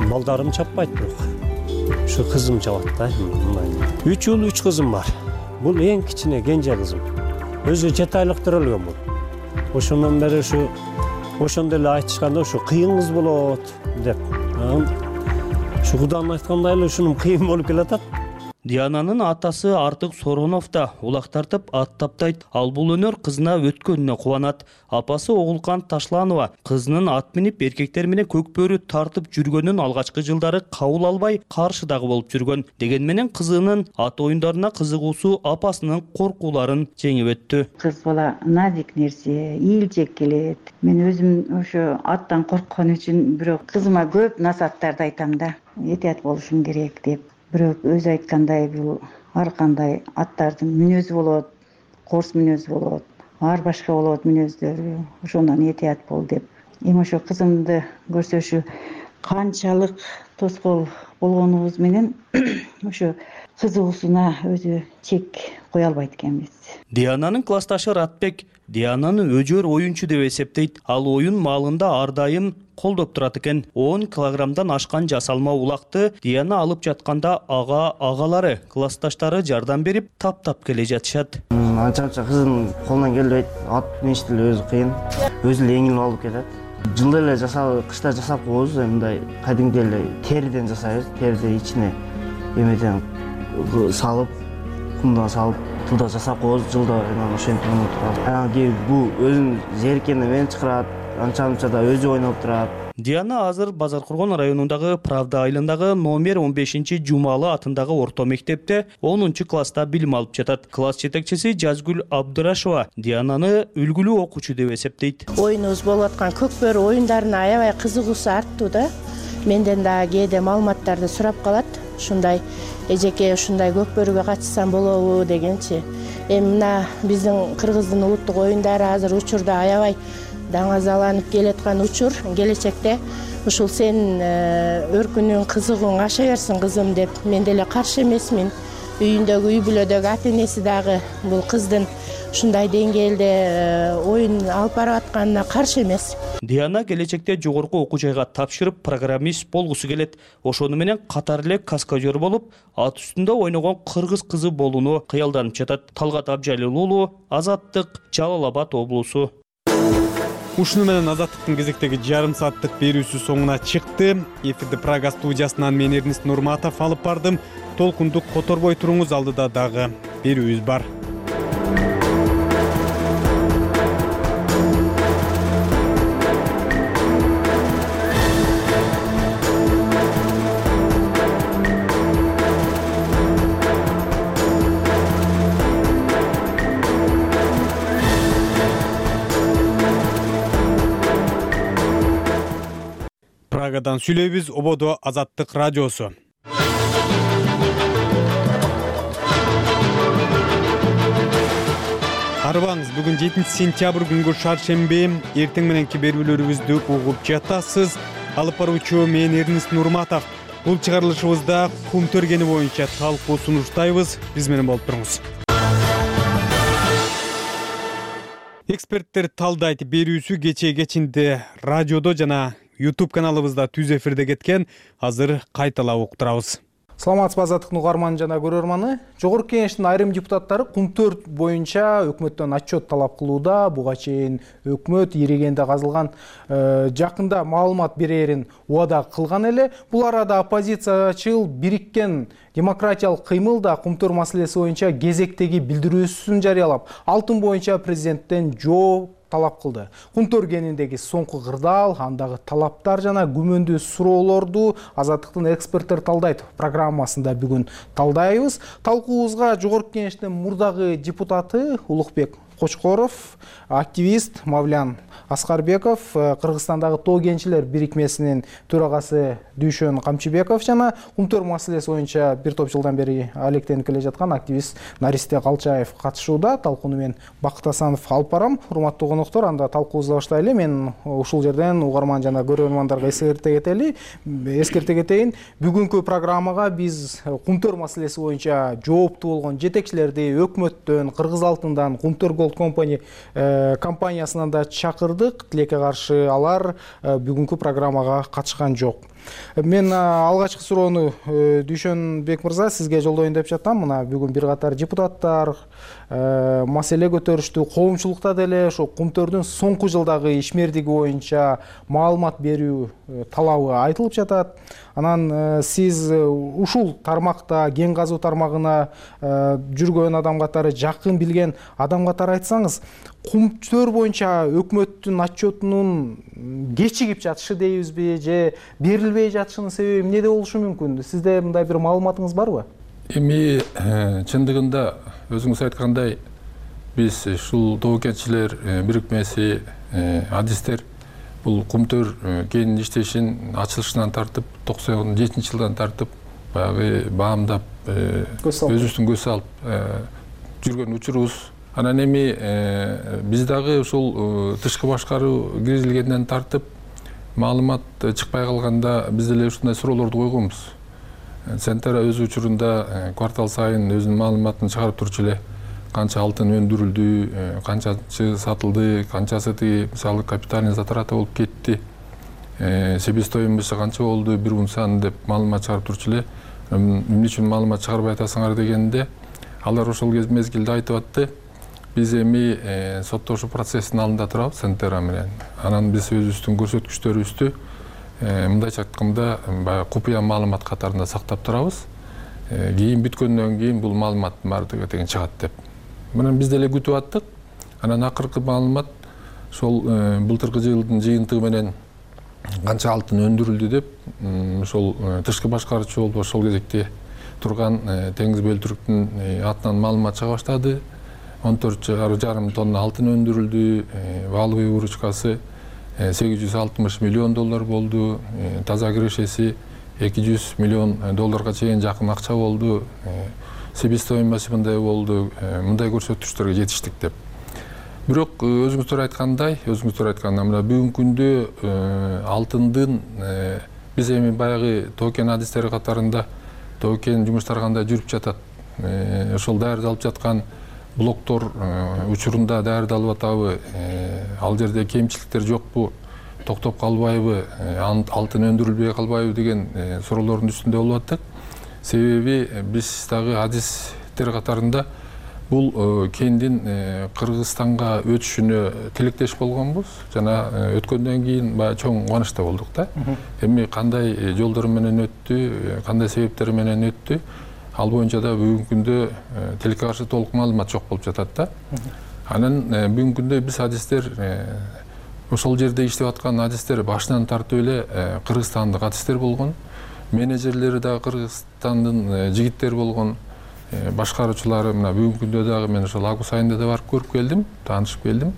Балдарым чаппайт бирок. Şu кызым чабат да. үч уул, үч кызым бар. Бул эң кичине кенже кызым. Өзү жети айлык төрөлгөн бул. Ошондон бери ушу ошондой эле айтышканда ушу кыйын кыз болот деп. Şu Куданын айткандай эле ушунун кыйын болуп келатат. Диананын атасы Артык Соронов да улак тартып ат таптайт. Ал бул өнөр кызына өткөнүнө кубанат. Апасы Оголкан Ташланова кызынын ат минип эркектер менен көкбөрү тартып жүргөнүн алгачкы жылдары кабыл албай, каршы дагы болуп жүргөн. Деген менен кызынын ат оюндарына кызыгуусу апасынын коркууларын жеңип өттү. Кыз бала назик нерсе, ийилжек келет. Мен өзүм ошо аттан корккон үчүн бирок кызыма көп насааттарды айтам да. Этият болушум керек деп. Бирок өзү айткандай бул ар кандай аттардын мүнөзү болот, корс мүнөзү болот, ар башка болот мүнөздөрү. Ошондон этият бол деп. Эми ошо кызымды көрсөшү канчалык тоскоол болгонубуз менен ошо кызыгуусуна өзү чек кое албайт экенбиз. Диананын классташы Ратбек Диананы өжөр оюнчу деп эсептейт. Ал оюн маалында ар дайым колдоп турат экен. он килограммдан ашкан жасалма улакты Диана алып жатканда ага агалары, классташтары жардам берип таптап келе жатышат. Анча-анча кыздын колунан келбейт. Ат миништи эле өзү кыйын. Өзү эле эңилип алып кетет. Жылда эле жасап, кышта жасап коебуз, мындай кадимдей эле териден жасайбыз. Териден ичине эмеден салып, кумдан салып туда жасап коебуз. Жылда ошентип ойноп турат. Анан кийин бул өзүнүн зериккени мен чакырат. Анча-мынча да өзү ойноп турат. Диана азыр Базаркургон районундагы Правда айылындагы номер он бешинчи Жумалы атындагы орто мектепте онунчу класста билим алып жатат. Класс жетекчиси Жазгүл Абдырашева Диананы үлгүлүү окуучу деп эсептейт. Оюнубуз болуп аткан көкбөрү оюндарына аябай кызыгуусу артты да. Менден дагы кээде маалыматтарды сурап калат. Ушундай эжеке ушундай көкбөрүгө катышсам болобу дегенчи. Эми мына биздин кыргыздын улуттук оюндары азыр учурда аябай даңазаланып келаткан учур. Келечекте ушул сенин өркүнүң, кызыгууң аша берсин кызым деп мен деле каршы эмесмин. Үйүндөгү үй бүлөдөгү ата энеси дагы бул кыздын ушундай деңгээлде оюн алып барып атканына каршы эмес. Диана келечекте жогорку окуу жайга тапшырып программист болгусу келет. Ошону менен катар эле каскадер болуп, ат үстүндө ойногон кыргыз кызы болууну кыялданып жатат. Талгат Абжалил уулу, Азаттык, Жалал Абад облусу. Ушуну менен Азаттыктын кезектеги жарым сааттык берүүсү соңуна чыкты. Эфирди Прага студиясынан мен Эрнест Нурматов алып бардым. Толкунду которбой туруңуз, алдыда дагы берүүбүз бар. Прагадан сүйлөйбүз, ободо Азаттык радиосу. Арыбаңыз, бүгүн жетинчи сентябрь күнгү шаршемби, эртең мененки берүүлөрүбүздү угуп жатасыз. Алып баруучу мен Эрнест Нурматов. Бул чыгарылышыбызда кум төргени боюнча талкуу сунуштайбыз. Биз менен болуп туруңуз. Эксперттер талдайт берүүсү кечээ кечинде радиодо жана YouTube каналыбызда түз эфирде кеткен. Азыр кайталап уктурабыз. Саламатсызбы Азаттыктын угарманы жана көрөрманы. Жогорку Кеңештин айрым депутаттары кум төрт боюнча өкмөттөн отчет талап кылууда. Буга чейин өкмөт ирегенде казылган жакында маалымат берерин убада кылган эле. Бул арада оппозициячыл бириккен демократиялык кыймыл да кум төрт маселеси боюнча кезектеги билдирүүсүн жарыялап, алтын боюнча президенттен жооп талап кылды. Кум төргениндеги соңку кырдаал, андагы талаптар жана күмөндүү суроолорду Азаттыктын эксперттер талдайт программасында бүгүн талдайбыз. Талкуубузга Жогорку Кеңештин мурдагы депутаты Улукбек Кочкоров, активист Мавлян Аскарбеков, Кыргызстандагы Тоо кенчилер бирикмесинин төрагасы Дүйшөн Камчыбеков жана кум төрт маселеси боюнча бир топ жылдан бери алектенип келе жаткан активист Наристе Калчаев катышууда. Талкууну мен Бакыт Асанов алып барам. Урматтуу коноктор, анда талкуубузду баштайлы. Мен ушул жерден угарман жана көрөрмандарга эскерте кетели. Эскерте кетейин. Бүгүнкү программага биз кум төрт маселеси боюнча жооптуу болгон жетекчилерди өкмөттөн, Кыргыз алтындан, кум төрт Gold Company компаниясынан да чакырдык. Тилекке каршы алар бүгүнкү программага катышкан жок. Мен алгачкы суроону Дүйшөн Бек мырза сизге жолдоюн деп жатам. Мына бүгүн бир катар депутаттар маселе көтөрүштү. Коомчулукта деле ошо кум төрттүн соңку жылдагы ишмердиги боюнча маалымат берүү талабы айтылып жатат. Анан сиз ушул тармакта, кен казуу тармагына жүргөн адам катары, жакын билген адам катары айтсаңыз, кум төрт боюнча өкмөттүн отчетунун кечигип жатышы дейбизби же берилбей жатышынын себеби эмнеде болушу мүмкүн? Сизде мындай бир маалыматыңыз барбы? Эми чындыгында өзүңүз айткандай, биз ушул Тоо кенчилер бирикмеси адистер бул кум төрт кенин иштешин ачылышынан тартып токсон жетинчи жылдан тартып баягы баамдап өзүбүздүн көз салып жүргөн учурубуз. Анан эми биз дагы ушул тышкы башкаруу киргизилгенден тартып маалымат чыкпай калганда биз деле ушундай суроолорду койгонбуз. Центра өз учурунда квартал сайын өзүнүн маалыматын чыгарып турчу эле. Канча алтын өндүрүлдү, канчасы сатылды, канчасы тиги мисалы капитальный затраты болуп кетти, себестоимости канча болду, бир унсан деп маалымат чыгарып турчу эле. Эмне үчүн маалымат чыгарбай атасыңар дегенде, алар ошол мезгилде айтып атты. Биз эми соттошуу процессинин алдында турабыз Центра менен. Анан биз өзүбүздүн көрсөткүчтөрүбүздү мындайча айтканда баягы купуя маалымат катарында сактап турабыз. Кийин бүткөндөн кийин бул маалыматтын баардыгы деген чыгат деп. Мындан биз деле күтүп аттык. Анан акыркы маалымат ошол былтыркы жылдын жыйынтыгы менен канча алтын өндүрүлдү деп ошол тышкы башкаруучу болуп ошол кезекте турган Теңиз Бөлтүрктүн атынан маалымат чыга баштады. он төрт жарым тонна алтын өндүрүлдү, валовый выручкасы сегиз жүз алтымыш миллион доллар болду, таза кирешеси эки жүз миллион долларга чейин жакын акча болду, себестоимоси мындай болду, мындай көрсөткүчтөргө жетиштик деп. Бирок өзүңүздөр айткандай, өзүңүздөр айткандай, мына бүгүнкү күндө алтындын биз эми баягы Тоо кен адистери катарында Тоо кен жумуштары кандай жүрүп жатат, ошол даярдалып жаткан блоктор учурунда даярдалып атабы, ал жерде кемчиликтер жокпу, токтоп калбайбы, алтын өндүрүлбөй калбайбы деген суроолордун үстүндө болуп аттык. Себеби биз дагы адистер катарында бул кендин Кыргызстанга өтүшүнө тилектеш болгонбуз. Жана өткөндөн кийин баягы чоң кубанычта болдук да. Эми кандай жолдор менен өттү, кандай себептер менен өттү, ал боюнча да бүгүнкү күндө тилекке каршы толук маалымат жок болуп жатат да. Анан бүгүнкү күндө биз адистер, ошол жерде иштеп аткан адистер башынан тартып эле кыргызстандык адистер болгон, менеджерлери дагы Кыргызстандын жигиттери болгон, башкаруучулары мына бүгүнкү күндө дагы мен ошол август айында да барып көрүп келдим, таанышып келдим.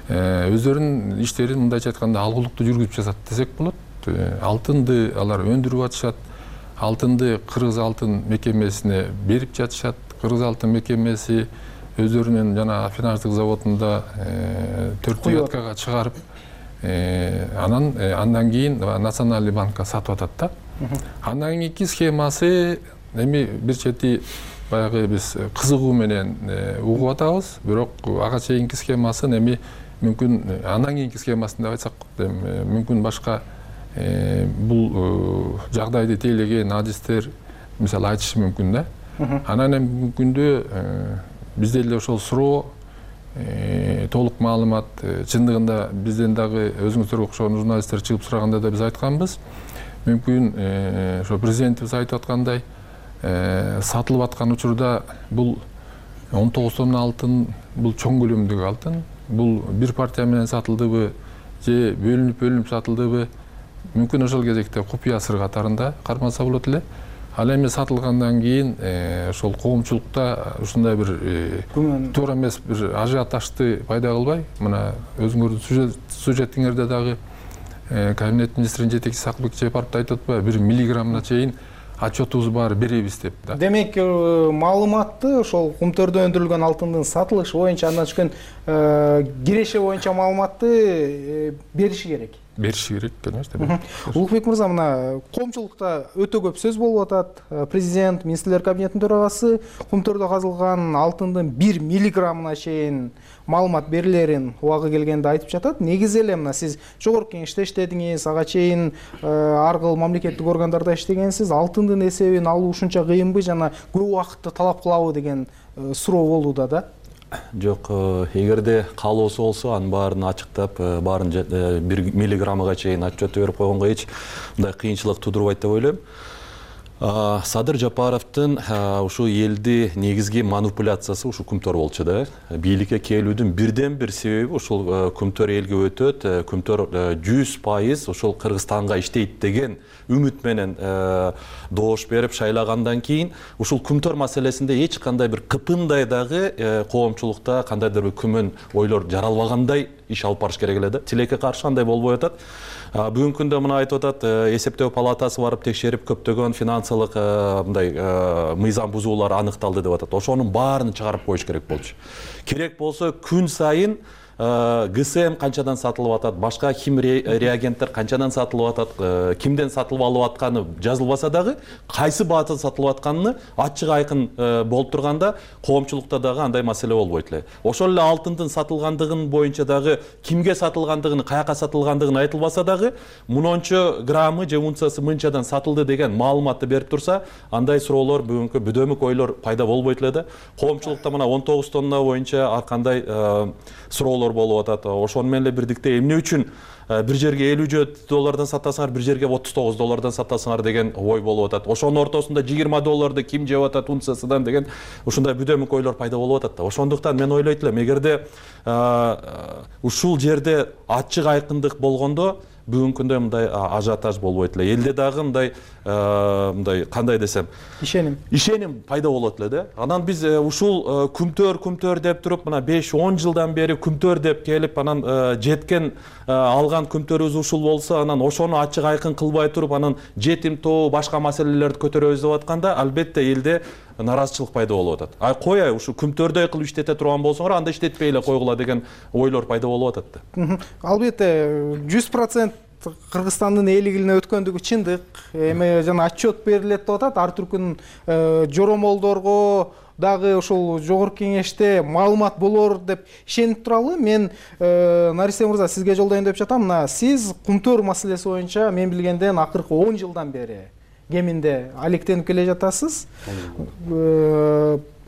Өздөрүнүн иштерин мындайча айтканда алгылыктуу жүргүзүп жатат десек болот. Алтынды алар өндүрүп атышат, алтынды Кыргыз алтын мекемесине берип жатышат. Кыргыз алтын мекемеси өздөрүнүн жана афинаждык заводунда төрт девяткага чыгарып, анан андан кийин Национальный банкка сатып атат да. Андан кийинки схемасы эми бир чети баягы биз кызыгуу менен угуп атабыз, бирок ага чейинки схемасын эми мүмкүн андан кийинки схемасын деп айтсак, мүмкүн башка бул жагдайды тейлеген адистер мисалы айтышы мүмкүн да. Анан эми бүгүнкү күндө бизде эле ошол суроо, толук маалымат, чындыгында бизден дагы өзүңүздөргө окшогон журналисттер чыгып сураганда да биз айтканбыз. Мүмкүн ошо президентибиз айтып аткандай, сатылып аткан учурда бул он тогуз тонна алтын, бул чоң көлөмдөгү алтын, бул бир партия менен сатылдыбы же бөлүнүп-бөлүнүп сатылдыбы, мүмкүн ошол кезекте купуя сыр катарында кармалса болот эле. Ал эми сатылгандан кийин ошол коомчулукта ушундай бир туура эмес бир ажиотажды пайда кылбай, мына өзүңөрдүн сюжетиңерде дагы кабинет министринин жетекчиси Акылбек Жапаров айтып атпайбы, бир миллиграммына чейин отчетубуз бар беребиз деп да. Демек, маалыматты ошол кумтөрдө өндүрүлгөн алтындын сатылышы боюнча, андан түшкөн киреше боюнча маалыматты бериши керек. Бериши керек, конечно. Улукбек мырза, мына коомчулукта өтө көп сөз болуп атат. Президент, министрлер кабинетинин төрагасы кумтөрдө казылган алтындын бир миллиграммына чейин маалымат берилерин убагы келгенде айтып жатат. Негизи эле мына сиз жогорку кеңеште иштедиңиз, ага чейин ар кыл мамлекеттик органдарда иштегенсиз. Алтындын эсебин алуу ушунча кыйынбы жана көп убакытты талап кылабы деген суроо болууда да. Жок, эгерде каалоосу болсо, анын баарын ачыктап, баарын бир миллиграммага чейин отчет берип койгонго эч мындай кыйынчылык тудурбайт деп ойлойм. Садыр Жапаровдун ушу элди негизги манипуляциясы ушу Кумтөр болчу да. Бийликке келүүдүн бирден бир себеби ушул Кумтөр элге өтөт, Кумтөр жүз пайыз ушул Кыргызстанга иштейт деген үмүт менен доош берип шайлагандан кийин ушул Кумтөр маселесинде эч кандай бир кыпындай дагы коомчулукта кандайдыр бир күмөн ойлор жаралбагандай иш алып барыш керек эле да. Тилекке каршы андай болбой атат. Бүгүнкү күндө мына айтып атат, эсептөө палатасы барып текшерип көптөгөн финансылык мындай мыйзам бузуулар аныкталды деп атат. Ошонун баарын чыгарып коюш керек болчу. Керек болсо күн сайын ГСМ канчадан сатылып атат, башка хим реагенттер канчадан сатылып атат, кимден сатылып алып атканы жазылбаса дагы, кайсы баатан сатылып атканын ачык айкын болуп турганда, коомчулукта дагы андай маселе болбойт эле. Ошол эле алтындын сатылгандыгын боюнча дагы кимге сатылгандыгын, каяка сатылгандыгын айтылбаса дагы, мынча граммы же унциясы мынчадан сатылды деген маалыматты берип турса, андай суроолор бүгүнкү бүдөмүк ойлор пайда болбойт эле да. Коомчулукта мына он тогуз тонна боюнча ар кандай суроолор болуп атат. Ошону менен эле бирдикте эмне үчүн бир жерге элүү доллардан сатасыңар, бир жерге отуз тогуз доллардан сатасыңар деген ой болуп атат. Ошонун ортосунда жыйырма долларды ким жеп атат унциясынан деген ушундай бүдөмүк ойлор пайда болуп атат да. Ошондуктан мен ойлойт элем, эгерде ушул жерде ачык айкындык болгондо бүгүнкү күндө мындай ажиотаж болбойт эле. Элде дагы мындай мындай кандай десем, ишеним. Ишеним пайда болот эле да. Анан биз ушул Кумтөр Кумтөр деп туруп, мына беш он жылдан бери Кумтөр деп келип, анан жеткен алган Кумтөрүбүз ушул болсо, анан ошону ачык айкын кылбай туруп, анан жетим тоо башка маселелерди көтөрөбүз деп атканда, албетте элде наразычылык пайда болуп атат. Ай кояй, ушу Кумтөрдөй кылып иштете турган болсоңор, анда иштетпей эле койгула деген ойлор пайда болуп атат да. Албетте жүз процент Кыргызстандын элик илине өткөндүгү чындык. Эми жана отчет берилет деп атат. Ар түркүн жоромолдорго дагы ушул жогорку кеңеште маалымат болор деп ишенип туралы. Мен Нарисе мырза сизге жолдойн деп жатам. Мына сиз кумтөр маселеси боюнча мен билгенден акыркы он жылдан бери кеминде алектенип келе жатасыз.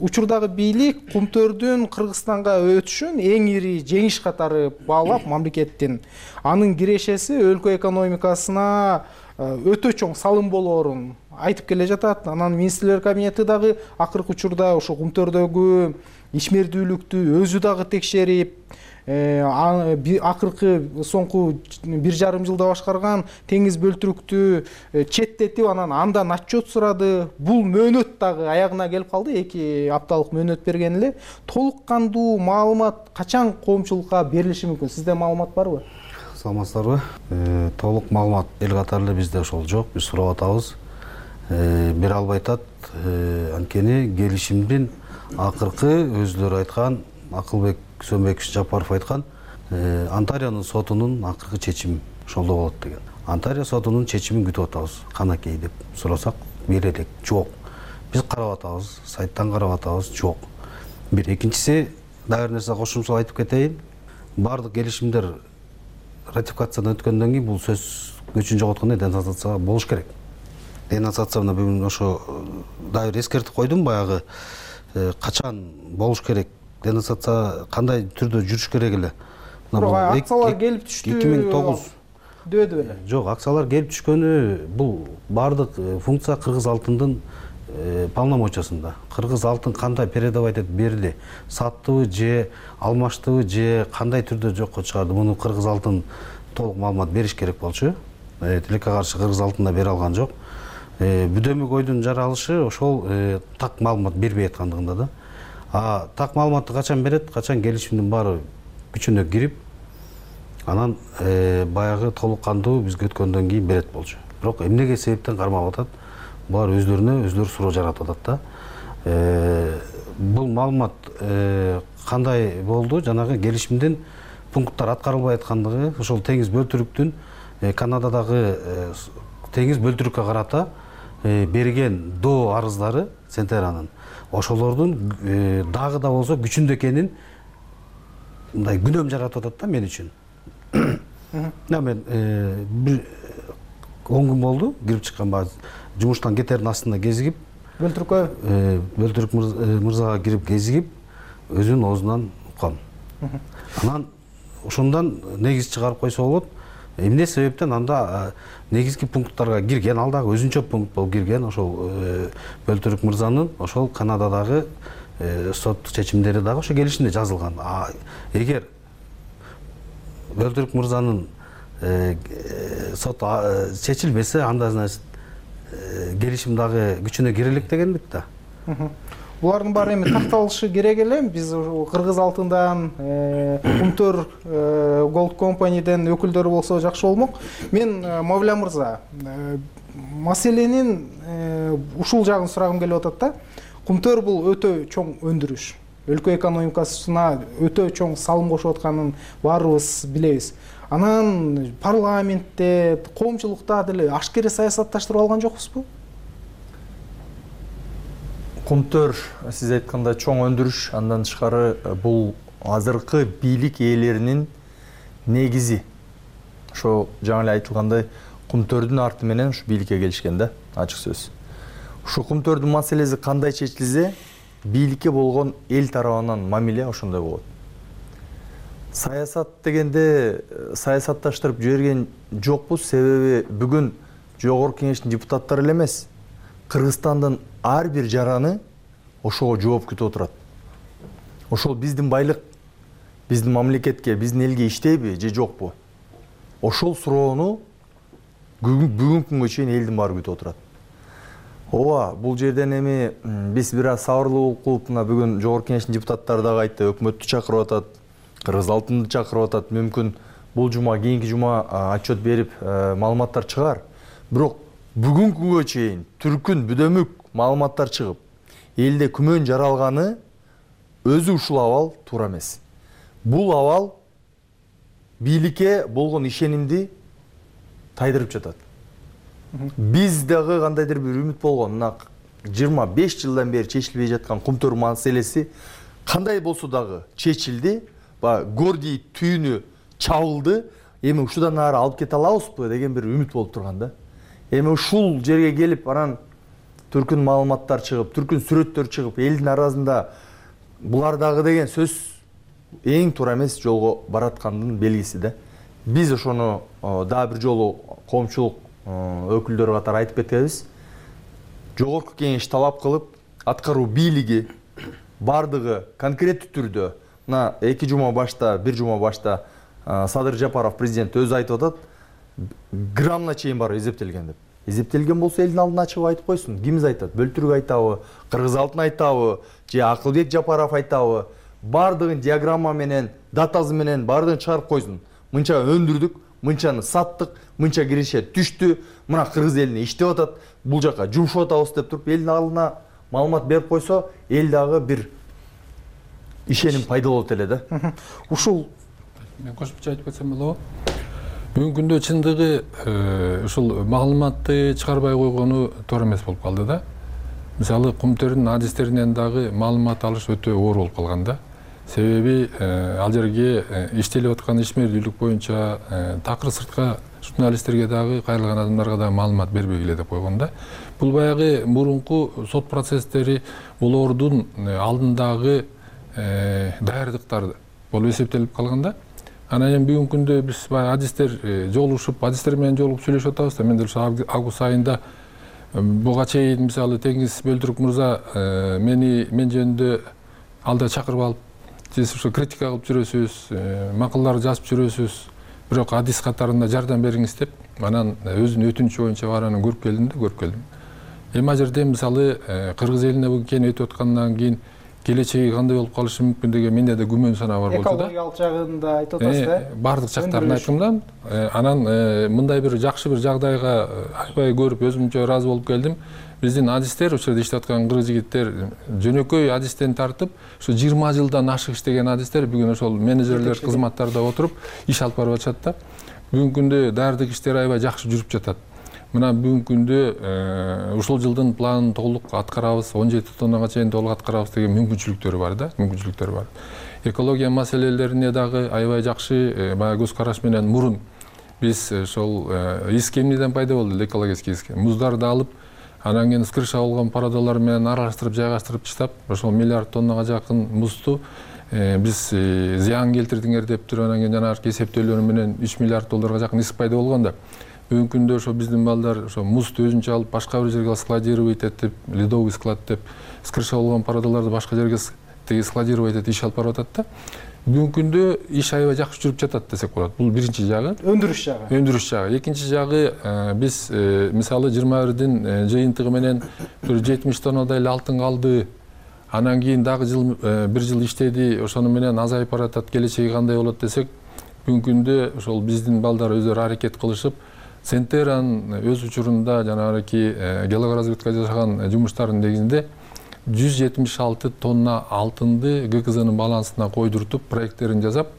Учурдагы бийлик кумтөрдүн Кыргызстанга өтүшүн эң ири жеңиш катары баалап, мамлекеттин анын кирешеси өлкө экономикасына өтө чоң салым болоорун айтып келе жатат. Анан министрлер кабинети дагы акыркы учурда ошо кумтөрдөгү ишмердүүлүктү өзү дагы текшерип, акыркы соңку бир жарым жылда башкарган теңиз бөлтүрүктү четтетип, анан андан отчет сурады. Бул мөөнөт дагы аягына келип калды. эки апталык мөөнөт берген эле. Толук кандуу маалымат качан коомчулукка берилиши мүмкүн? Сизде маалымат барбы? Саламатсыздарбы? Толук маалымат эл катары эле бизде ошол жок. Биз сурап атабыз. Бере албай атат. Анткени келишимдин акыркы өзүлөрү айткан, Акылбек Сөнбекович Жапаров айткан, Антариянын сотунун акыркы чечими ошолдо болот деген. Антария сотунун чечимин күтүп атабыз. Канакей деп сурасак берелик. Жок. Биз карап атабыз, сайттан карап атабыз, жок. Бир экинчиси, дагы бир нерсе кошумча айтып кетейин. Бардык келишимдер ратификациядан өткөндөн кийин бул сөз көчүн жоготкондо денонсация болуш керек. Денонсацияны бүгүн ошо дагы бир эскертип койдум, баягы качан болуш керек, денонсация кандай түрдө жүрүш керек эле. Акциялар келип түштү эки миң тогуз дөөдү беле? Жок, акциялар келип түшкөнү бул бардык функция Кыргыз алтындын полномочиясында. Кыргыз алтын кандай передавать этип берди, саттыбы же алмаштыбы же кандай түрдө жокко чыгарды, муну Кыргыз алтын толук маалымат бериш керек болчу. Тилекке каршы Кыргыз алтын да бере алган жок. Бүдөмүк ойдун жаралышы ошол так маалымат бербей аткандыгында да. А так маалыматты качан берет, качан келишимдин баары күчүнө кирип, анан баягы толук кандуу бизге өткөндөн кийин берет болчу. Бирок эмнеге себептен кармап атат? Булар өздөрүнө өздөрү суроо жаратып атат да. Бул маалымат кандай болду? Жанагы келишимдин пункттар аткарылбай аткандыгы, ошол теңиз бөлтүрүктүн Канададагы теңиз бөлтүрүккө карата берген до арыздары Центеранын ошолордун дагы да болсо күчүндө экенин мындай күнөм жаратып атат да мен үчүн. Мен бир он күн болду кирип чыкканга, жумуштан кетердин астында кезигип, бөлтүрүккө бөлтүрүк мырзага кирип кезигип, өзүнүн оозунан уккам. Анан ошондон негиз чыгарып койсо болот. Эмне себептен анда негизги пункттарга кирген, ал дагы өзүнчө пункт болуп кирген, ошол бөлтүрүк мырзанын ошол Канададагы сот чечимдери дагы ошо келишимде жазылган. А эгер бөлтүрүк мырзанын сот чечилбесе, анда значит келишим дагы күчүнө кире элек дегенбит да. Булардын баары эми такталышы керек эле. Биз Кыргыз алтындан, Кумтөр Gold Company'ден өкүлдөрү болсо жакшы болмок. Мен Мавля мырза, маселенин ушул жагын сурагым келип атат да. Кумтөр бул өтө чоң өндүрүш. Өлкө экономикасына өтө чоң салым кошуп атканын баарыбыз билебиз. Анан парламентте, коомчулукта деле ашкере саясатташтырып алган жокпузбу? Кумтөр, сиз айткандай, чоң өндүрүш, андан тышкары бул азыркы бийлик ээлеринин негизи. Ошо жаңы эле айтылгандай, Кумтөрдүн арты менен ушу бийликке келишкен да, ачык сөз. Ушу Кумтөрдүн маселеси кандай чечилсе, бийликке болгон эл тарабынан мамиле ошондой болот. Саясат дегенде саясатташтырып жиберген жокпуз, себеби бүгүн жогорку кеңештин депутаттары эле эмес, Кыргызстандын ар бир жараны ошого жооп күтүп отурат. Ошол биздин байлык биздин мамлекетке, биздин элге иштейби же жокпу? Ошол суроону бүгүнкү күнгө чейин элдин баары күтүп отурат. Ооба, бул жерден эми биз бир аз сабырлуу кылып, мына бүгүн жогорку кеңештин депутаттары дагы айтты, өкмөттү чакырып атат, Кыргыз алтынды чакырып атат. Мүмкүн бул жума, кийинки жума отчет берип, маалыматтар чыгар. Бирок бүгүнкү күнгө чейин түркүн бүдөмүк маалыматтар чыгып, элде күмөн жаралганы өзү ушул абал туура эмес. Бул абал бийликке болгон ишенимди тайдырып жатат. Биз дагы кандайдыр бир үмүт болгон, мына жыйырма беш жылдан бери чечилбей жаткан кумтөр маселеси кандай болсо дагы чечилди. Баягы Гордий түйүнү чабылды. Эми ушудан ары алып кете алабызбы деген бир үмүт болуп турган да. Эми ушул жерге келип, анан түркүн маалыматтар чыгып, түркүн сүрөттөр чыгып, элдин арасында булар дагы деген сөз эң туура эмес жолго бараткандын белгиси да. Биз ошону дагы бир жолу коомчулук өкүлдөрү катары айтып кетебиз. Жогорку кеңеш талап кылып, аткаруу бийлиги бардыгы конкреттүү түрдө, мына эки жума башта, бир жума башта Садыр Жапаров президент өзү айтып атат, граммна чейин барып эзептелген деп. Эзептелген болсо элдин алдына чыгып айтып койсун. Кимиз айтат? Бөлтүрүк айтабы, Кыргыз Алтын айтабы, же Акылбек Жапаров айтабы? Бардыгын диаграмма менен, датасы менен бардыгын чыгарып койсун. Мынча өндүрдүк, мынчаны саттык, мынча киреше түштү, мына кыргыз элине иштеп атат, бул жака жумшап атабыз деп туруп элдин алдына маалымат берип койсо, эл дагы бир ишеним пайда болот эле да. Ушул мен кошумча айтып кетсем болобу? Бүгүнкү күндө чындыгы ушул маалыматты чыгарбай койгону туура эмес болуп калды да. Мисалы кумтөрдүн адистеринен дагы маалымат алыш өтө оор болуп калган да. Себеби ал жерге иштелип аткан ишмердүүлүк боюнча такыр сыртка журналисттерге дагы, кайрылган адамдарга дагы маалымат бербегиле деп койгон да. Бул баягы мурунку сот процесстери, булордун алдындагы даярдыктар болуп эсептелип калган да. Анан эми бүгүнкү күндө биз баягы адистер жолугушуп, адистер менен жолугуп сүйлөшүп атабыз да. Мен деле ошо август айында буга чейин мисалы Теңиз Бөлтүрүк мырза мени мен жөнүндө алда чакырып алып, сиз ошо критика кылып жүрөсүз, макалалар жазып жүрөсүз, бирок адис катарында жардам бериңиз деп, анан өзүнүн өтүнүчү боюнча баранын көрүп келдим да, көрүп келдим. Эми ал жерде мисалы кыргыз элине бул кен өтүп аткандан кийин келечеги кандай болуп калышы мүмкүн деген менде да күмөн санаа бар болчу да. Экологиялык жагын да айтып атасыз да. Бардык жактарын айттым да. Анан мындай бир жакшы бир жагдайга аябай көрүп өзүмчө ыраазы болуп келдим. Биздин адистер, ошол жерде иштеп аткан кыргыз жигиттер жөнөкөй адистен тартып, ушу жыйырма жылдан ашык иштеген адистер бүгүн ошол менеджерлер кызматтарда отуруп иш алып барып атышат да. Бүгүнкү күндө даярдык иштери аябай жакшы жүрүп жатат. Мына бүгүнкү күндө ушул жылдын планын толук аткарабыз, он жети тоннага чейин толук аткарабыз деген мүмкүнчүлүктөрү бар да, мүмкүнчүлүктөрү бар. Экология маселелерине дагы аябай жакшы баягы көз караш менен мурун биз ошол иск эмнеден пайда болду, экологический иск. Муздарды алып, анан кийин скрыша болгон парадалар менен аралаштырып, жайгаштырып таштап, ошол миллиард тоннага жакын музду биз зыян келтирдиңер деп туруп, анан кийин жанагы эсептөөлөр менен үч миллиард долларга жакын иск пайда болгон да. Бүгүнкү күндө ошо биздин балдар ошо музду өзүнчө алып башка бир жерге складировать этип, ледовый склад деп, скрыша болгон парадаларды башка жерге складировать этип иш алып барып атат да. Бүгүнкү күндө иш аябай жакшы жүрүп жатат десек болот. Бул биринчи жагы. Өндүрүш жагы. Өндүрүш жагы. Экинчи жагы биз мисалы жыйырма бирдин жыйынтыгы менен бир жетимиш тоннадай эле алтын калды. Анан кийин дагы жыл бир жыл иштеди, ошону менен азайып баратат, келечеги кандай болот десек, бүгүнкү күндө ошол биздин балдар өздөрү аракет кылышып, Центеран өз учурунда жанагы геологоразведка жасаган жумуштардын негизинде жүз жетимиш алты тонна алтынды ГКЗнын балансына койдуртуп, проекттерин жасап,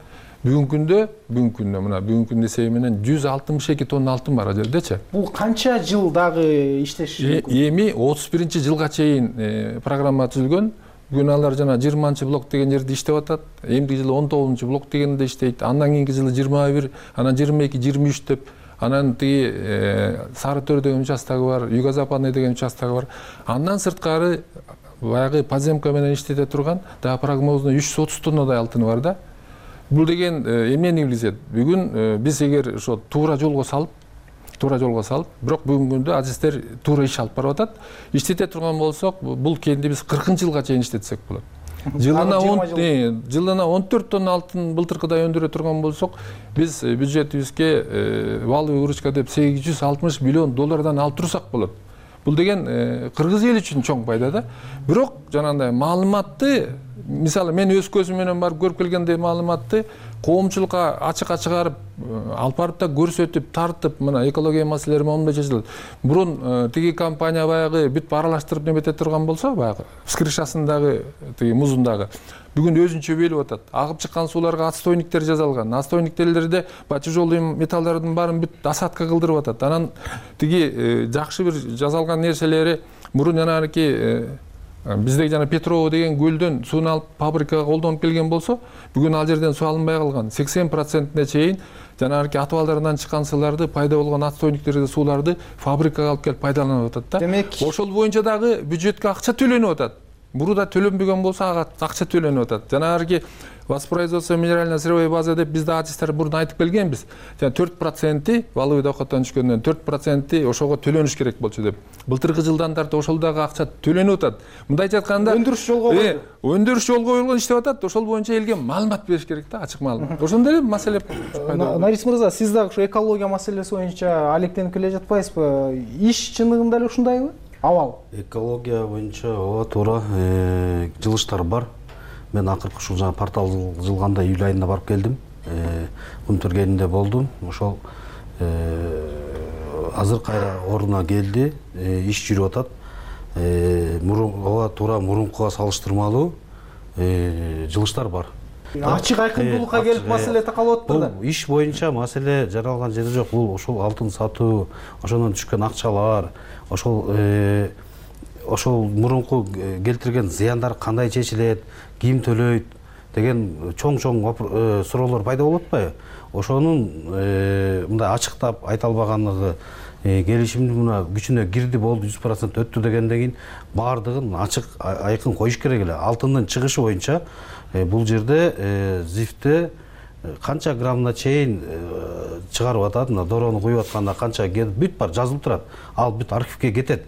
бүгүнкү күндө, бүгүнкү күндө мына бүгүнкү күндө эсеби менен жүз алтымыш эки тонна алтын бар ал жердечи. Бул канча жыл дагы иштеш мүмкүн? Эми отуз биринчи жылга чейин программа түзүлгөн. Бүгүн алар жана жыйырманчы блок деген жерде иштеп атат. Эмдиги жылы он тогузунчу блок дегенде иштейт. Андан кийинки жылы жыйырма бир, анан жыйырма эки, жыйырма үч деп. Анан тиги Сары Төр деген участогу бар, Юго-Западный деген участогу бар. Андан сырткары баягы подземка менен иштете турган дагы прогнозно үч жүз отуз тоннадай алтыны бар да. Бул деген эмнени билдирет? Бүгүн биз эгер ошо туура жолго салып, туура жолго салып, бирок бүгүнкү күндө адистер туура иш алып барып атат. Иштете турган болсок, бул кенди биз кыркынчы жылга чейин иштетсек болот. Жылына он жылына он төрт тонна алтын былтыркыдай өндүрө турган болсок, биз бюджетибизге валовый выручка деп сегиз жүз алтымыш миллион доллардан алып турсак болот. Бул деген кыргыз эли үчүн чоң пайда да. Бирок жанагындай маалыматты, мисалы мен өз көзүм менен барып көрүп келгендей маалыматты коомчулукка ачыкка чыгарып алып барып да көрсөтүп тартып мына экология маселелери момундай чечилет. Мурун тиги компания баягы бүт аралаштырып немете турган болсо баягы с крышасындагы тиги музундагы бүгүн өзүнчө белип атат. Агып чыккан сууларга отстойниктер жасалган. Отстойниктерде баягы тяжелый металлдардын баарын бүт осадка кылдырып атат. Анан тиги жакшы бир жасалган нерселери мурун жанагы бизде жана Петрово деген көлдөн сууну алып фабрикага колдонуп келген болсо, бүгүн ал жерден суу алынбай калган. сексен процентине чейин жанагы атыбалдарынан чыккан сууларды, пайда болгон отстойниктерди, сууларды фабрикага алып келип пайдаланып атат да. Демек, ошол боюнча дагы бюджетке акча төлөнүп атат. Мурда төлөнбөгөн болсо ага акча төлөнүп атат. Жанагы воспроизводство минерально-сырьевой базы деп бизде адистер мурда айтып келгенбиз. Жана төрт проценти валовый доходдон түшкөндөн төрт проценти ошого төлөнүш керек болчу деп. Былтыркы жылдан тартып ошол дагы акча төлөнүп атат. Мындайча айтканда өндүрүш жолго коюлду. Өндүрүш жолго коюлган иштеп атат. Ошол боюнча элге маалымат бериш керек да, ачык маалымат. Ошондой эле маселе пайда болду. Нарис мырза, сиз дагы ушу экология маселеси боюнча алектенип келе жатпайсызбы? Иш чындыгында эле ушундайбы? Абал. Экология боюнча ооба туура жылыштар бар. Мен акыркы ушул жана портал жылганда июль айында барып келдим. Кумтөр кенинде болдум. Ошол азыр кайра ордуна келди, иш жүрүп атат. Мурун ооба туура мурункуга салыштырмалуу жылыштар бар. Ачык айкындуулукка келип маселе такалып атпы да. Бул иш боюнча маселе жаралган жери жок. Бул ошол алтын сатуу, ошондон түшкөн акчалар, ошол ошол мурунку келтирген зыяндар кандай чечилет, ким төлөйт деген чоң-чоң суроолор пайда болуп атпайбы? Ошонун мындай ачыктап айта албаганлыгы, келишимдин мына күчүнө кирди болду, жүз процент өттү дегенден кийин баардыгын ачык айкын коюш керек эле. Алтындын чыгышы боюнча бул жерде зифте канча граммына чейин чыгарып атат, мына дороону куюп атканда канча бүт бар жазылып турат. Ал бүт архивге кетет.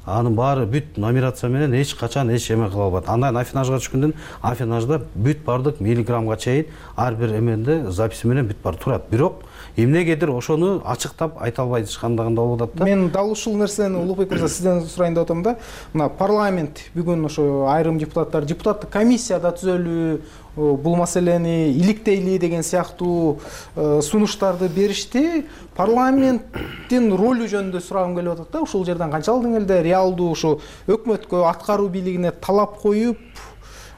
Анын баары бүт номерация менен эч качан эч эме кыла албайт. Андан афинажга түшкөндөн афинажда бүт бардык миллиграммга чейин ар бир эменде записи менен бүт бар турат. Бирок эмнегедир ошону ачыктап айта албай жатышкандыгында болуп атат да. Мен дал ушул нерсени Улукбек мырза сизден сурайын деп атам да. Мына парламент бүгүн ошо айрым депутаттар депутаттык комиссия да түзөлүү, бул маселени иликтейли деген сыяктуу сунуштарды беришти. Парламенттин ролу жөнүндө сурагым келип атат да. Ушул жерден канчалык деңгээлде реалдуу ушу өкмөткө, аткаруу бийлигине талап коюп,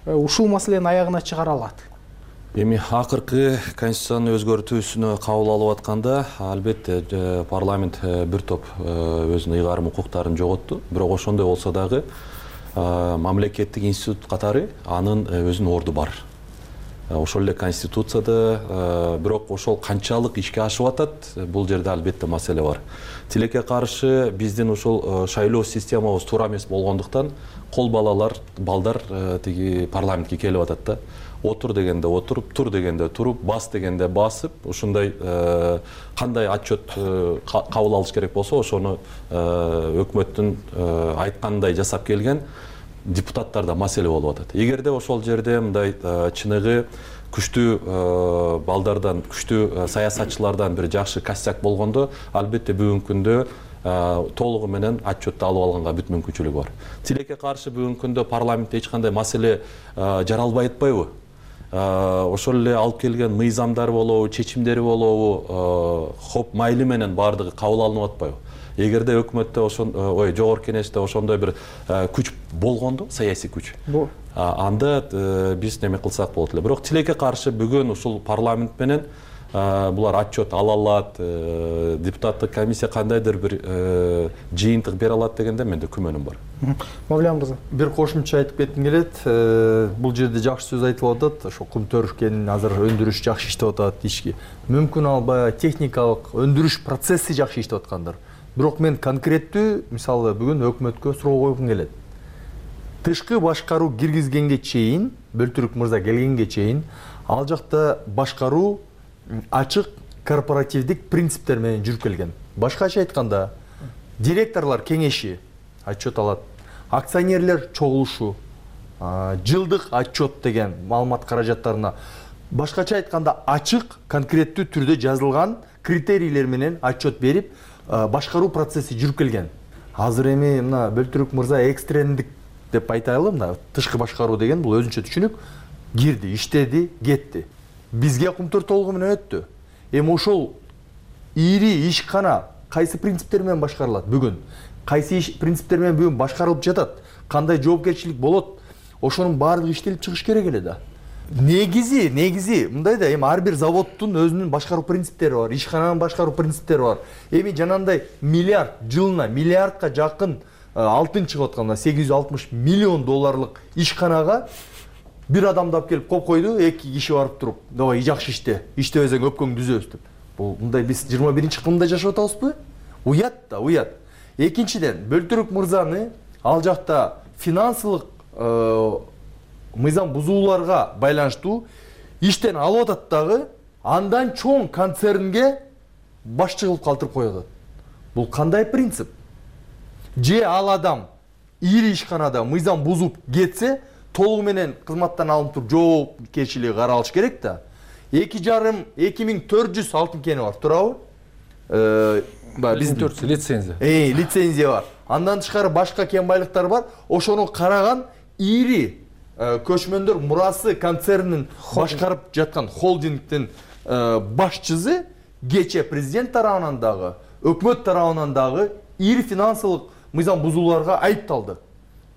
ушул маселени аягына чыгара алат? Эми акыркы конституциянын өзгөртүүсүнө кабыл алып атканда, албетте парламент бир топ өзүнүн ыйгарым укуктарын жоготту. Бирок ошондой болсо дагы мамлекеттик институт катары анын өзүнүн орду бар. Ошол эле конституцияда, бирок ошол канчалык ишке ашып атат, бул жерде албетте маселе бар. Тилекке каршы биздин ошол шайлоо системабыз туура эмес болгондуктан кол балалар, балдар тиги парламентке келип атат да. Отур дегенде отуруп, тур дегенде туруп, бас дегенде басып, ушундай кандай отчет кабыл алыш керек болсо, ошону өкмөттүн айткандай жасап келген депутаттарда маселе болуп атат. Эгерде ошол жерде мындай чыныгы күчтүү балдардан, күчтүү саясатчылардан бир жакшы костяк болгондо, албетте бүгүнкү күндө толугу менен отчетту алып алганга бүт мүмкүнчүлүгү бар. Тилекке каршы бүгүнкү күндө парламентте эч кандай маселе жаралбай атпайбы? Ошол эле алып келген мыйзамдар болобу, чечимдери болобу, хоп майли менен баардыгы кабыл алынып атпайбы? Эгерде өкмөттө ошон, ой, жогорку кеңеште ошондой бир күч болгондо, саясий күч, анда биз неме кылсак болот эле. Бирок тилекке каршы бүгүн ушул парламент менен булар отчет ала алат, депутаттык комиссия кандайдыр бир жыйынтык бере алат дегенде менде күмөнүм бар. Мавлен мырза, бир кошумча айтып кетким келет. Бул жерде жакшы сөз айтылып атат. Ошо Кумтөр кенин азыр өндүрүш жакшы иштеп атат, ишки мүмкүн албай техникалык өндүрүш процесси жакшы иштеп аткандыр. Бирок мен конкреттүү, мисалы, бүгүн өкмөткө суроо койгум келет. Тышкы башкаруу киргизгенге чейин, Бөлтүрүк мырза келгенге чейин, ал жакта башкаруу ачык корпоративдик принциптер менен жүрүп келген. Башкача айтканда, директорлор кеңеши отчет алат, акционерлер чогулушу, жылдык отчет деген маалымат каражаттарына башкача айтканда ачык, конкреттүү түрдө жазылган критерийлер менен отчет берип, башкаруу процесси жүрүп келген. Азыр эми мына Бөлтүрүк мырза экстрендик деп айтайлы, мына тышкы башкаруу деген бул өзүнчө түшүнүк. Кирди, иштеди, кетти. бизге кумтөр толугу менен өттү. Эми ошол ири ишкана кайсы принциптер менен башкарылат бүгүн? Кайсы иш принциптер менен бүгүн башкарылып жатат? Кандай жоопкерчилик болот? Ошонун баардыгы иштелип чыгыш керек эле да. Негизи, негизи мындай да, эми ар бир заводдун өзүнүн башкаруу принциптери бар, ишкананын башкаруу принциптери бар. Эми жанагындай миллиард жылына миллиардка жакын алтын чыгып атканда сегиз жүз алтымыш миллион долларлык ишканага бир адамды алып келип коюп койду, эки киши барып туруп, давай жакшы иште, иштебесең өпкөңдү үзөбүз деп. Бул мындай биз жыйырма биринчи кылымда жашап атабызбы? Уят да, уят. Экинчиден, Бөлтүрүк мырзаны ал жакта финансылык мыйзам бузууларга байланыштуу иштен алып атат дагы, андан чоң концернге башчы кылып калтырып коет. Бул кандай принцип? Же ал адам ири ишканада мыйзам бузуп кетсе, толугу менен кызматтан алынып туруп жоопкерчилиги каралыш керек да. эки жарым эки миң төрт жүз алтын кени бар, туурабы? Биздин лицензия. Э, лицензия бар. Андан тышкары башка кен байлыктар бар. Ошону караган ири көчмөндөр мурасы концернин башкарып жаткан холдингдин башчысы кече президент тарабынан дагы, өкмөт тарабынан дагы ири финансылык мыйзам бузууларга айыпталды.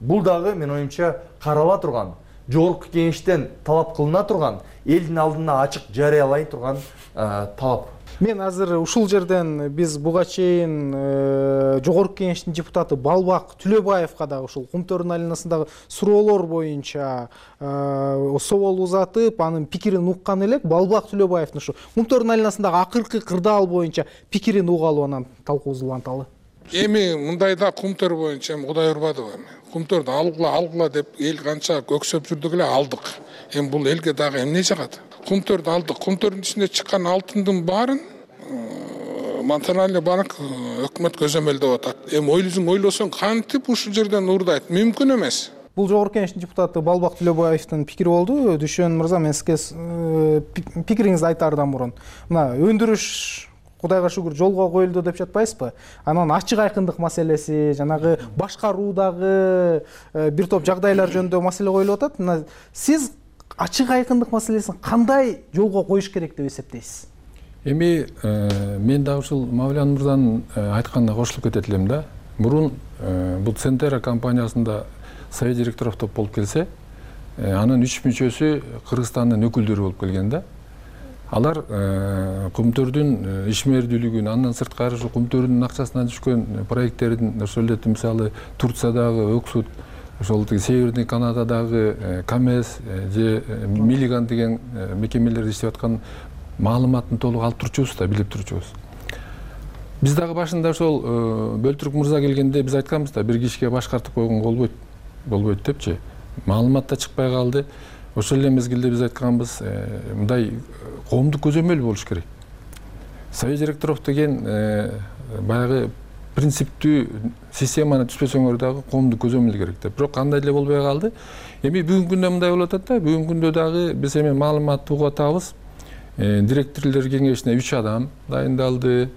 Бул дагы менин оюмча карала турган, жогорку кеңештен талап кылына турган, элдин алдына ачык жарыялай турган талап. Мен азыр ушул жерден биз буга чейин жогорку кеңештин депутаты Балбак Түлөбаевга дагы ушул кумтөрдүн айланасындагы суроолор боюнча собол узатып, анын пикирин уккан элек. Балбак Түлөбаевдин ушу кумтөрдүн айланасындагы акыркы кырдаал боюнча пикирин угалы, анан талкуубузду уланталы. Эми мындайда кумтөр боюнча Кудай урбадыбы. Кумтөрдү алгыла, алгыла деп эл канча көксөп жүрдүк эле, алдык. Эми бул элге дагы эмне жагат? Кумтөрдү алдык. Кумтөрдүн ичинде чыккан алтындын баарын Национальный банк өкмөт көзөмөлдөп атат. Эми ойлосоң ойлосоң кантип ушул жерден уурдайт? Мүмкүн эмес. Бул жогорку кеңештин депутаты Балбак Түлөбаевдин пикири болду. Дүшөн мырза, мен сизге пикириңизди айтаардан мурун, мына өндүрүш Кудайга шүгүр жолго коюлду деп жатпайсызбы? Анан ачык айкындык маселеси, жанагы башкаруудагы бир топ жагдайлар жөнүндө маселе коюлуп атат. Мына сиз ачык айкындык маселесин кандай жолго коюш керек деп эсептейсиз? Эми мен дагы ушул Мавлян мырзанын айтканына кошулуп кетет элем да. Мурун бул Центера компаниясында совет директоров топ болуп келсе, анын үч мүчөсү Кыргызстандын өкүлдөрү болуп келген да. Алар кумтөрдүн ишмердүүлүгүн, андан сырткары ушу кумтөрдүн акчасынан түшкөн проекттердин, ошол эле мисалы Турциядагы Өксут, ошол Северный Канададагы Камес же Миллиган деген мекемелерде иштеп аткан маалыматын толук алып турчубуз да, билип турчубуз. Биз дагы башында ошол Бөлтүрүк мырза келгенде биз айтканбыз да, бир кишиге башкартып койгонго болбойт, болбойт депчи. Маалымат да чыкпай калды. Ошол эле мезгилде биз айтканбыз, мындай коомдук көзөмөл болуш керек. Совет директоров деген баягы принциптүү системаны түзбөсөңөр дагы коомдук көзөмөл керек деп. Бирок кандай эле болбой калды. Эми бүгүнкү күндө мындай болуп атат да, бүгүнкү күндө дагы биз эми маалыматты угуп атабыз. Директорлор кеңешине үч адам дайындалды,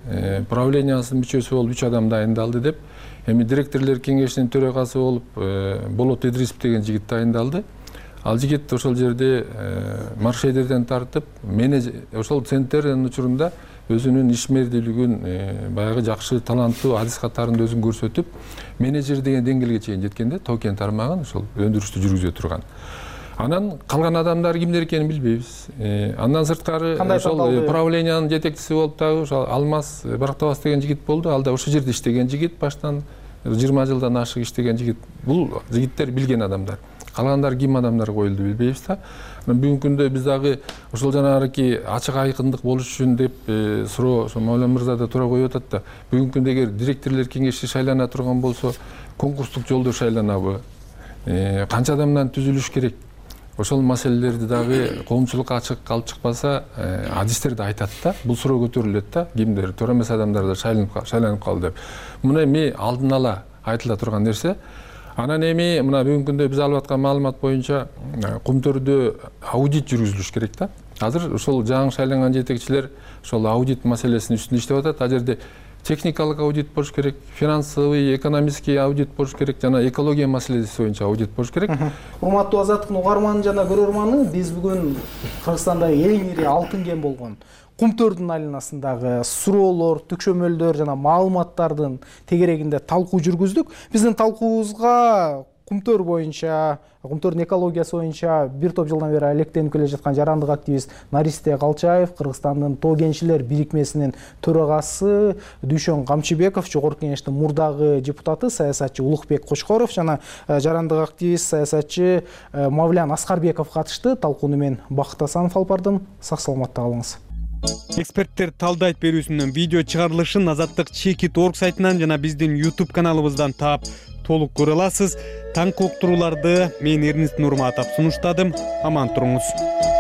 правлениясынын мүчөсү болуп үч адам дайындалды деп. Эми директорлор кеңешинин төрагасы болуп Болот Идрисов деген жигит дайындалды. Ал жигит ошол жерде маршедерден тартып, менеджер, ошол центрдин учурунда өзүнүн ишмердүүлүгүн, баягы жакшы, таланттуу, адис катарында өзүн көрсөтүп, менеджер деген деңгээлге чейин жеткенде, токен тармагын ошол өндүрүштү жүргүзө турган. Анан калган адамдар кимдер экенин билбейбиз. Андан сырткары ошол правлениянын жетекчиси болуп дагы ошол Алмаз Барактабас деген жигит болду. Ал да ошол жерде иштеген жигит, баштан жыйырма жылдан ашык иштеген жигит. Бул жигиттер билген адамдар. Калгандар ким адамдар коюлду билбейбиз да. Бүгүнкү күндө биз дагы ошол жанагы ачык айкындык болуш үчүн деп суроо ошо Мавлян мырза да туура коюп атат да. Бүгүнкү күндө эгер директорлор кеңеши шайлана турган болсо, конкурстук жолдо шайланабы? Канча адамдан түзүлүш керек? Ошол маселелерди дагы коомчулукка ачык калып чыкпаса, адистер да айтат да, бул суроо көтөрүлөт да, кимдер туура эмес адамдар да шайланып калды деп. Муну эми алдын ала айтыла турган нерсе. Анан эми мына бүгүнкү күндө биз алып аткан маалымат боюнча кумтөрдө аудит жүргүзүлүш керек да. Азыр ошол жаңы шайланган жетекчилер ошол аудит маселесинин үстүндө иштеп атат. Ал жерде техникалык аудит болуш керек, финансовый, экономический аудит болуш керек, жана экология маселеси боюнча аудит болуш керек. Урматтуу Азаттыктын угарманы жана көрөрманы, биз бүгүн Кыргызстандагы эң ири алтын кен болгон Кумтөрдүн айланасындагы суроолор, түкшөмөлдөр жана маалыматтардын тегерегинде талкуу жүргүздүк. Биздин талкуубузга Кумтөр боюнча, Кумтөрдүн экологиясы боюнча бир топ жылдан бери алектенип келе жаткан жарандык активист Наристе Калчаев, Кыргызстандын Тоо кенчилер бирикмесинин төрагасы Дүйшөн Камчыбеков, Жогорку Кеңештин мурдагы депутаты саясатчы Улукбек Кочкоров жана жарандык активист саясатчы Мавлян Аскарбеков катышты. Талкууну мен Бакыт Асанов алып бардым. Сак саламатта калыңыз. Эксперттер талдайт берүүсүнөн видео чыгарылышын Азаттык чекит точка орг сайтынан жана биздин YouTube каналыбыздан таап толук көрө аласыз. Таңкы уктурууларды мен Эрнест Нурматов сунуштадым. Аман туруңуз.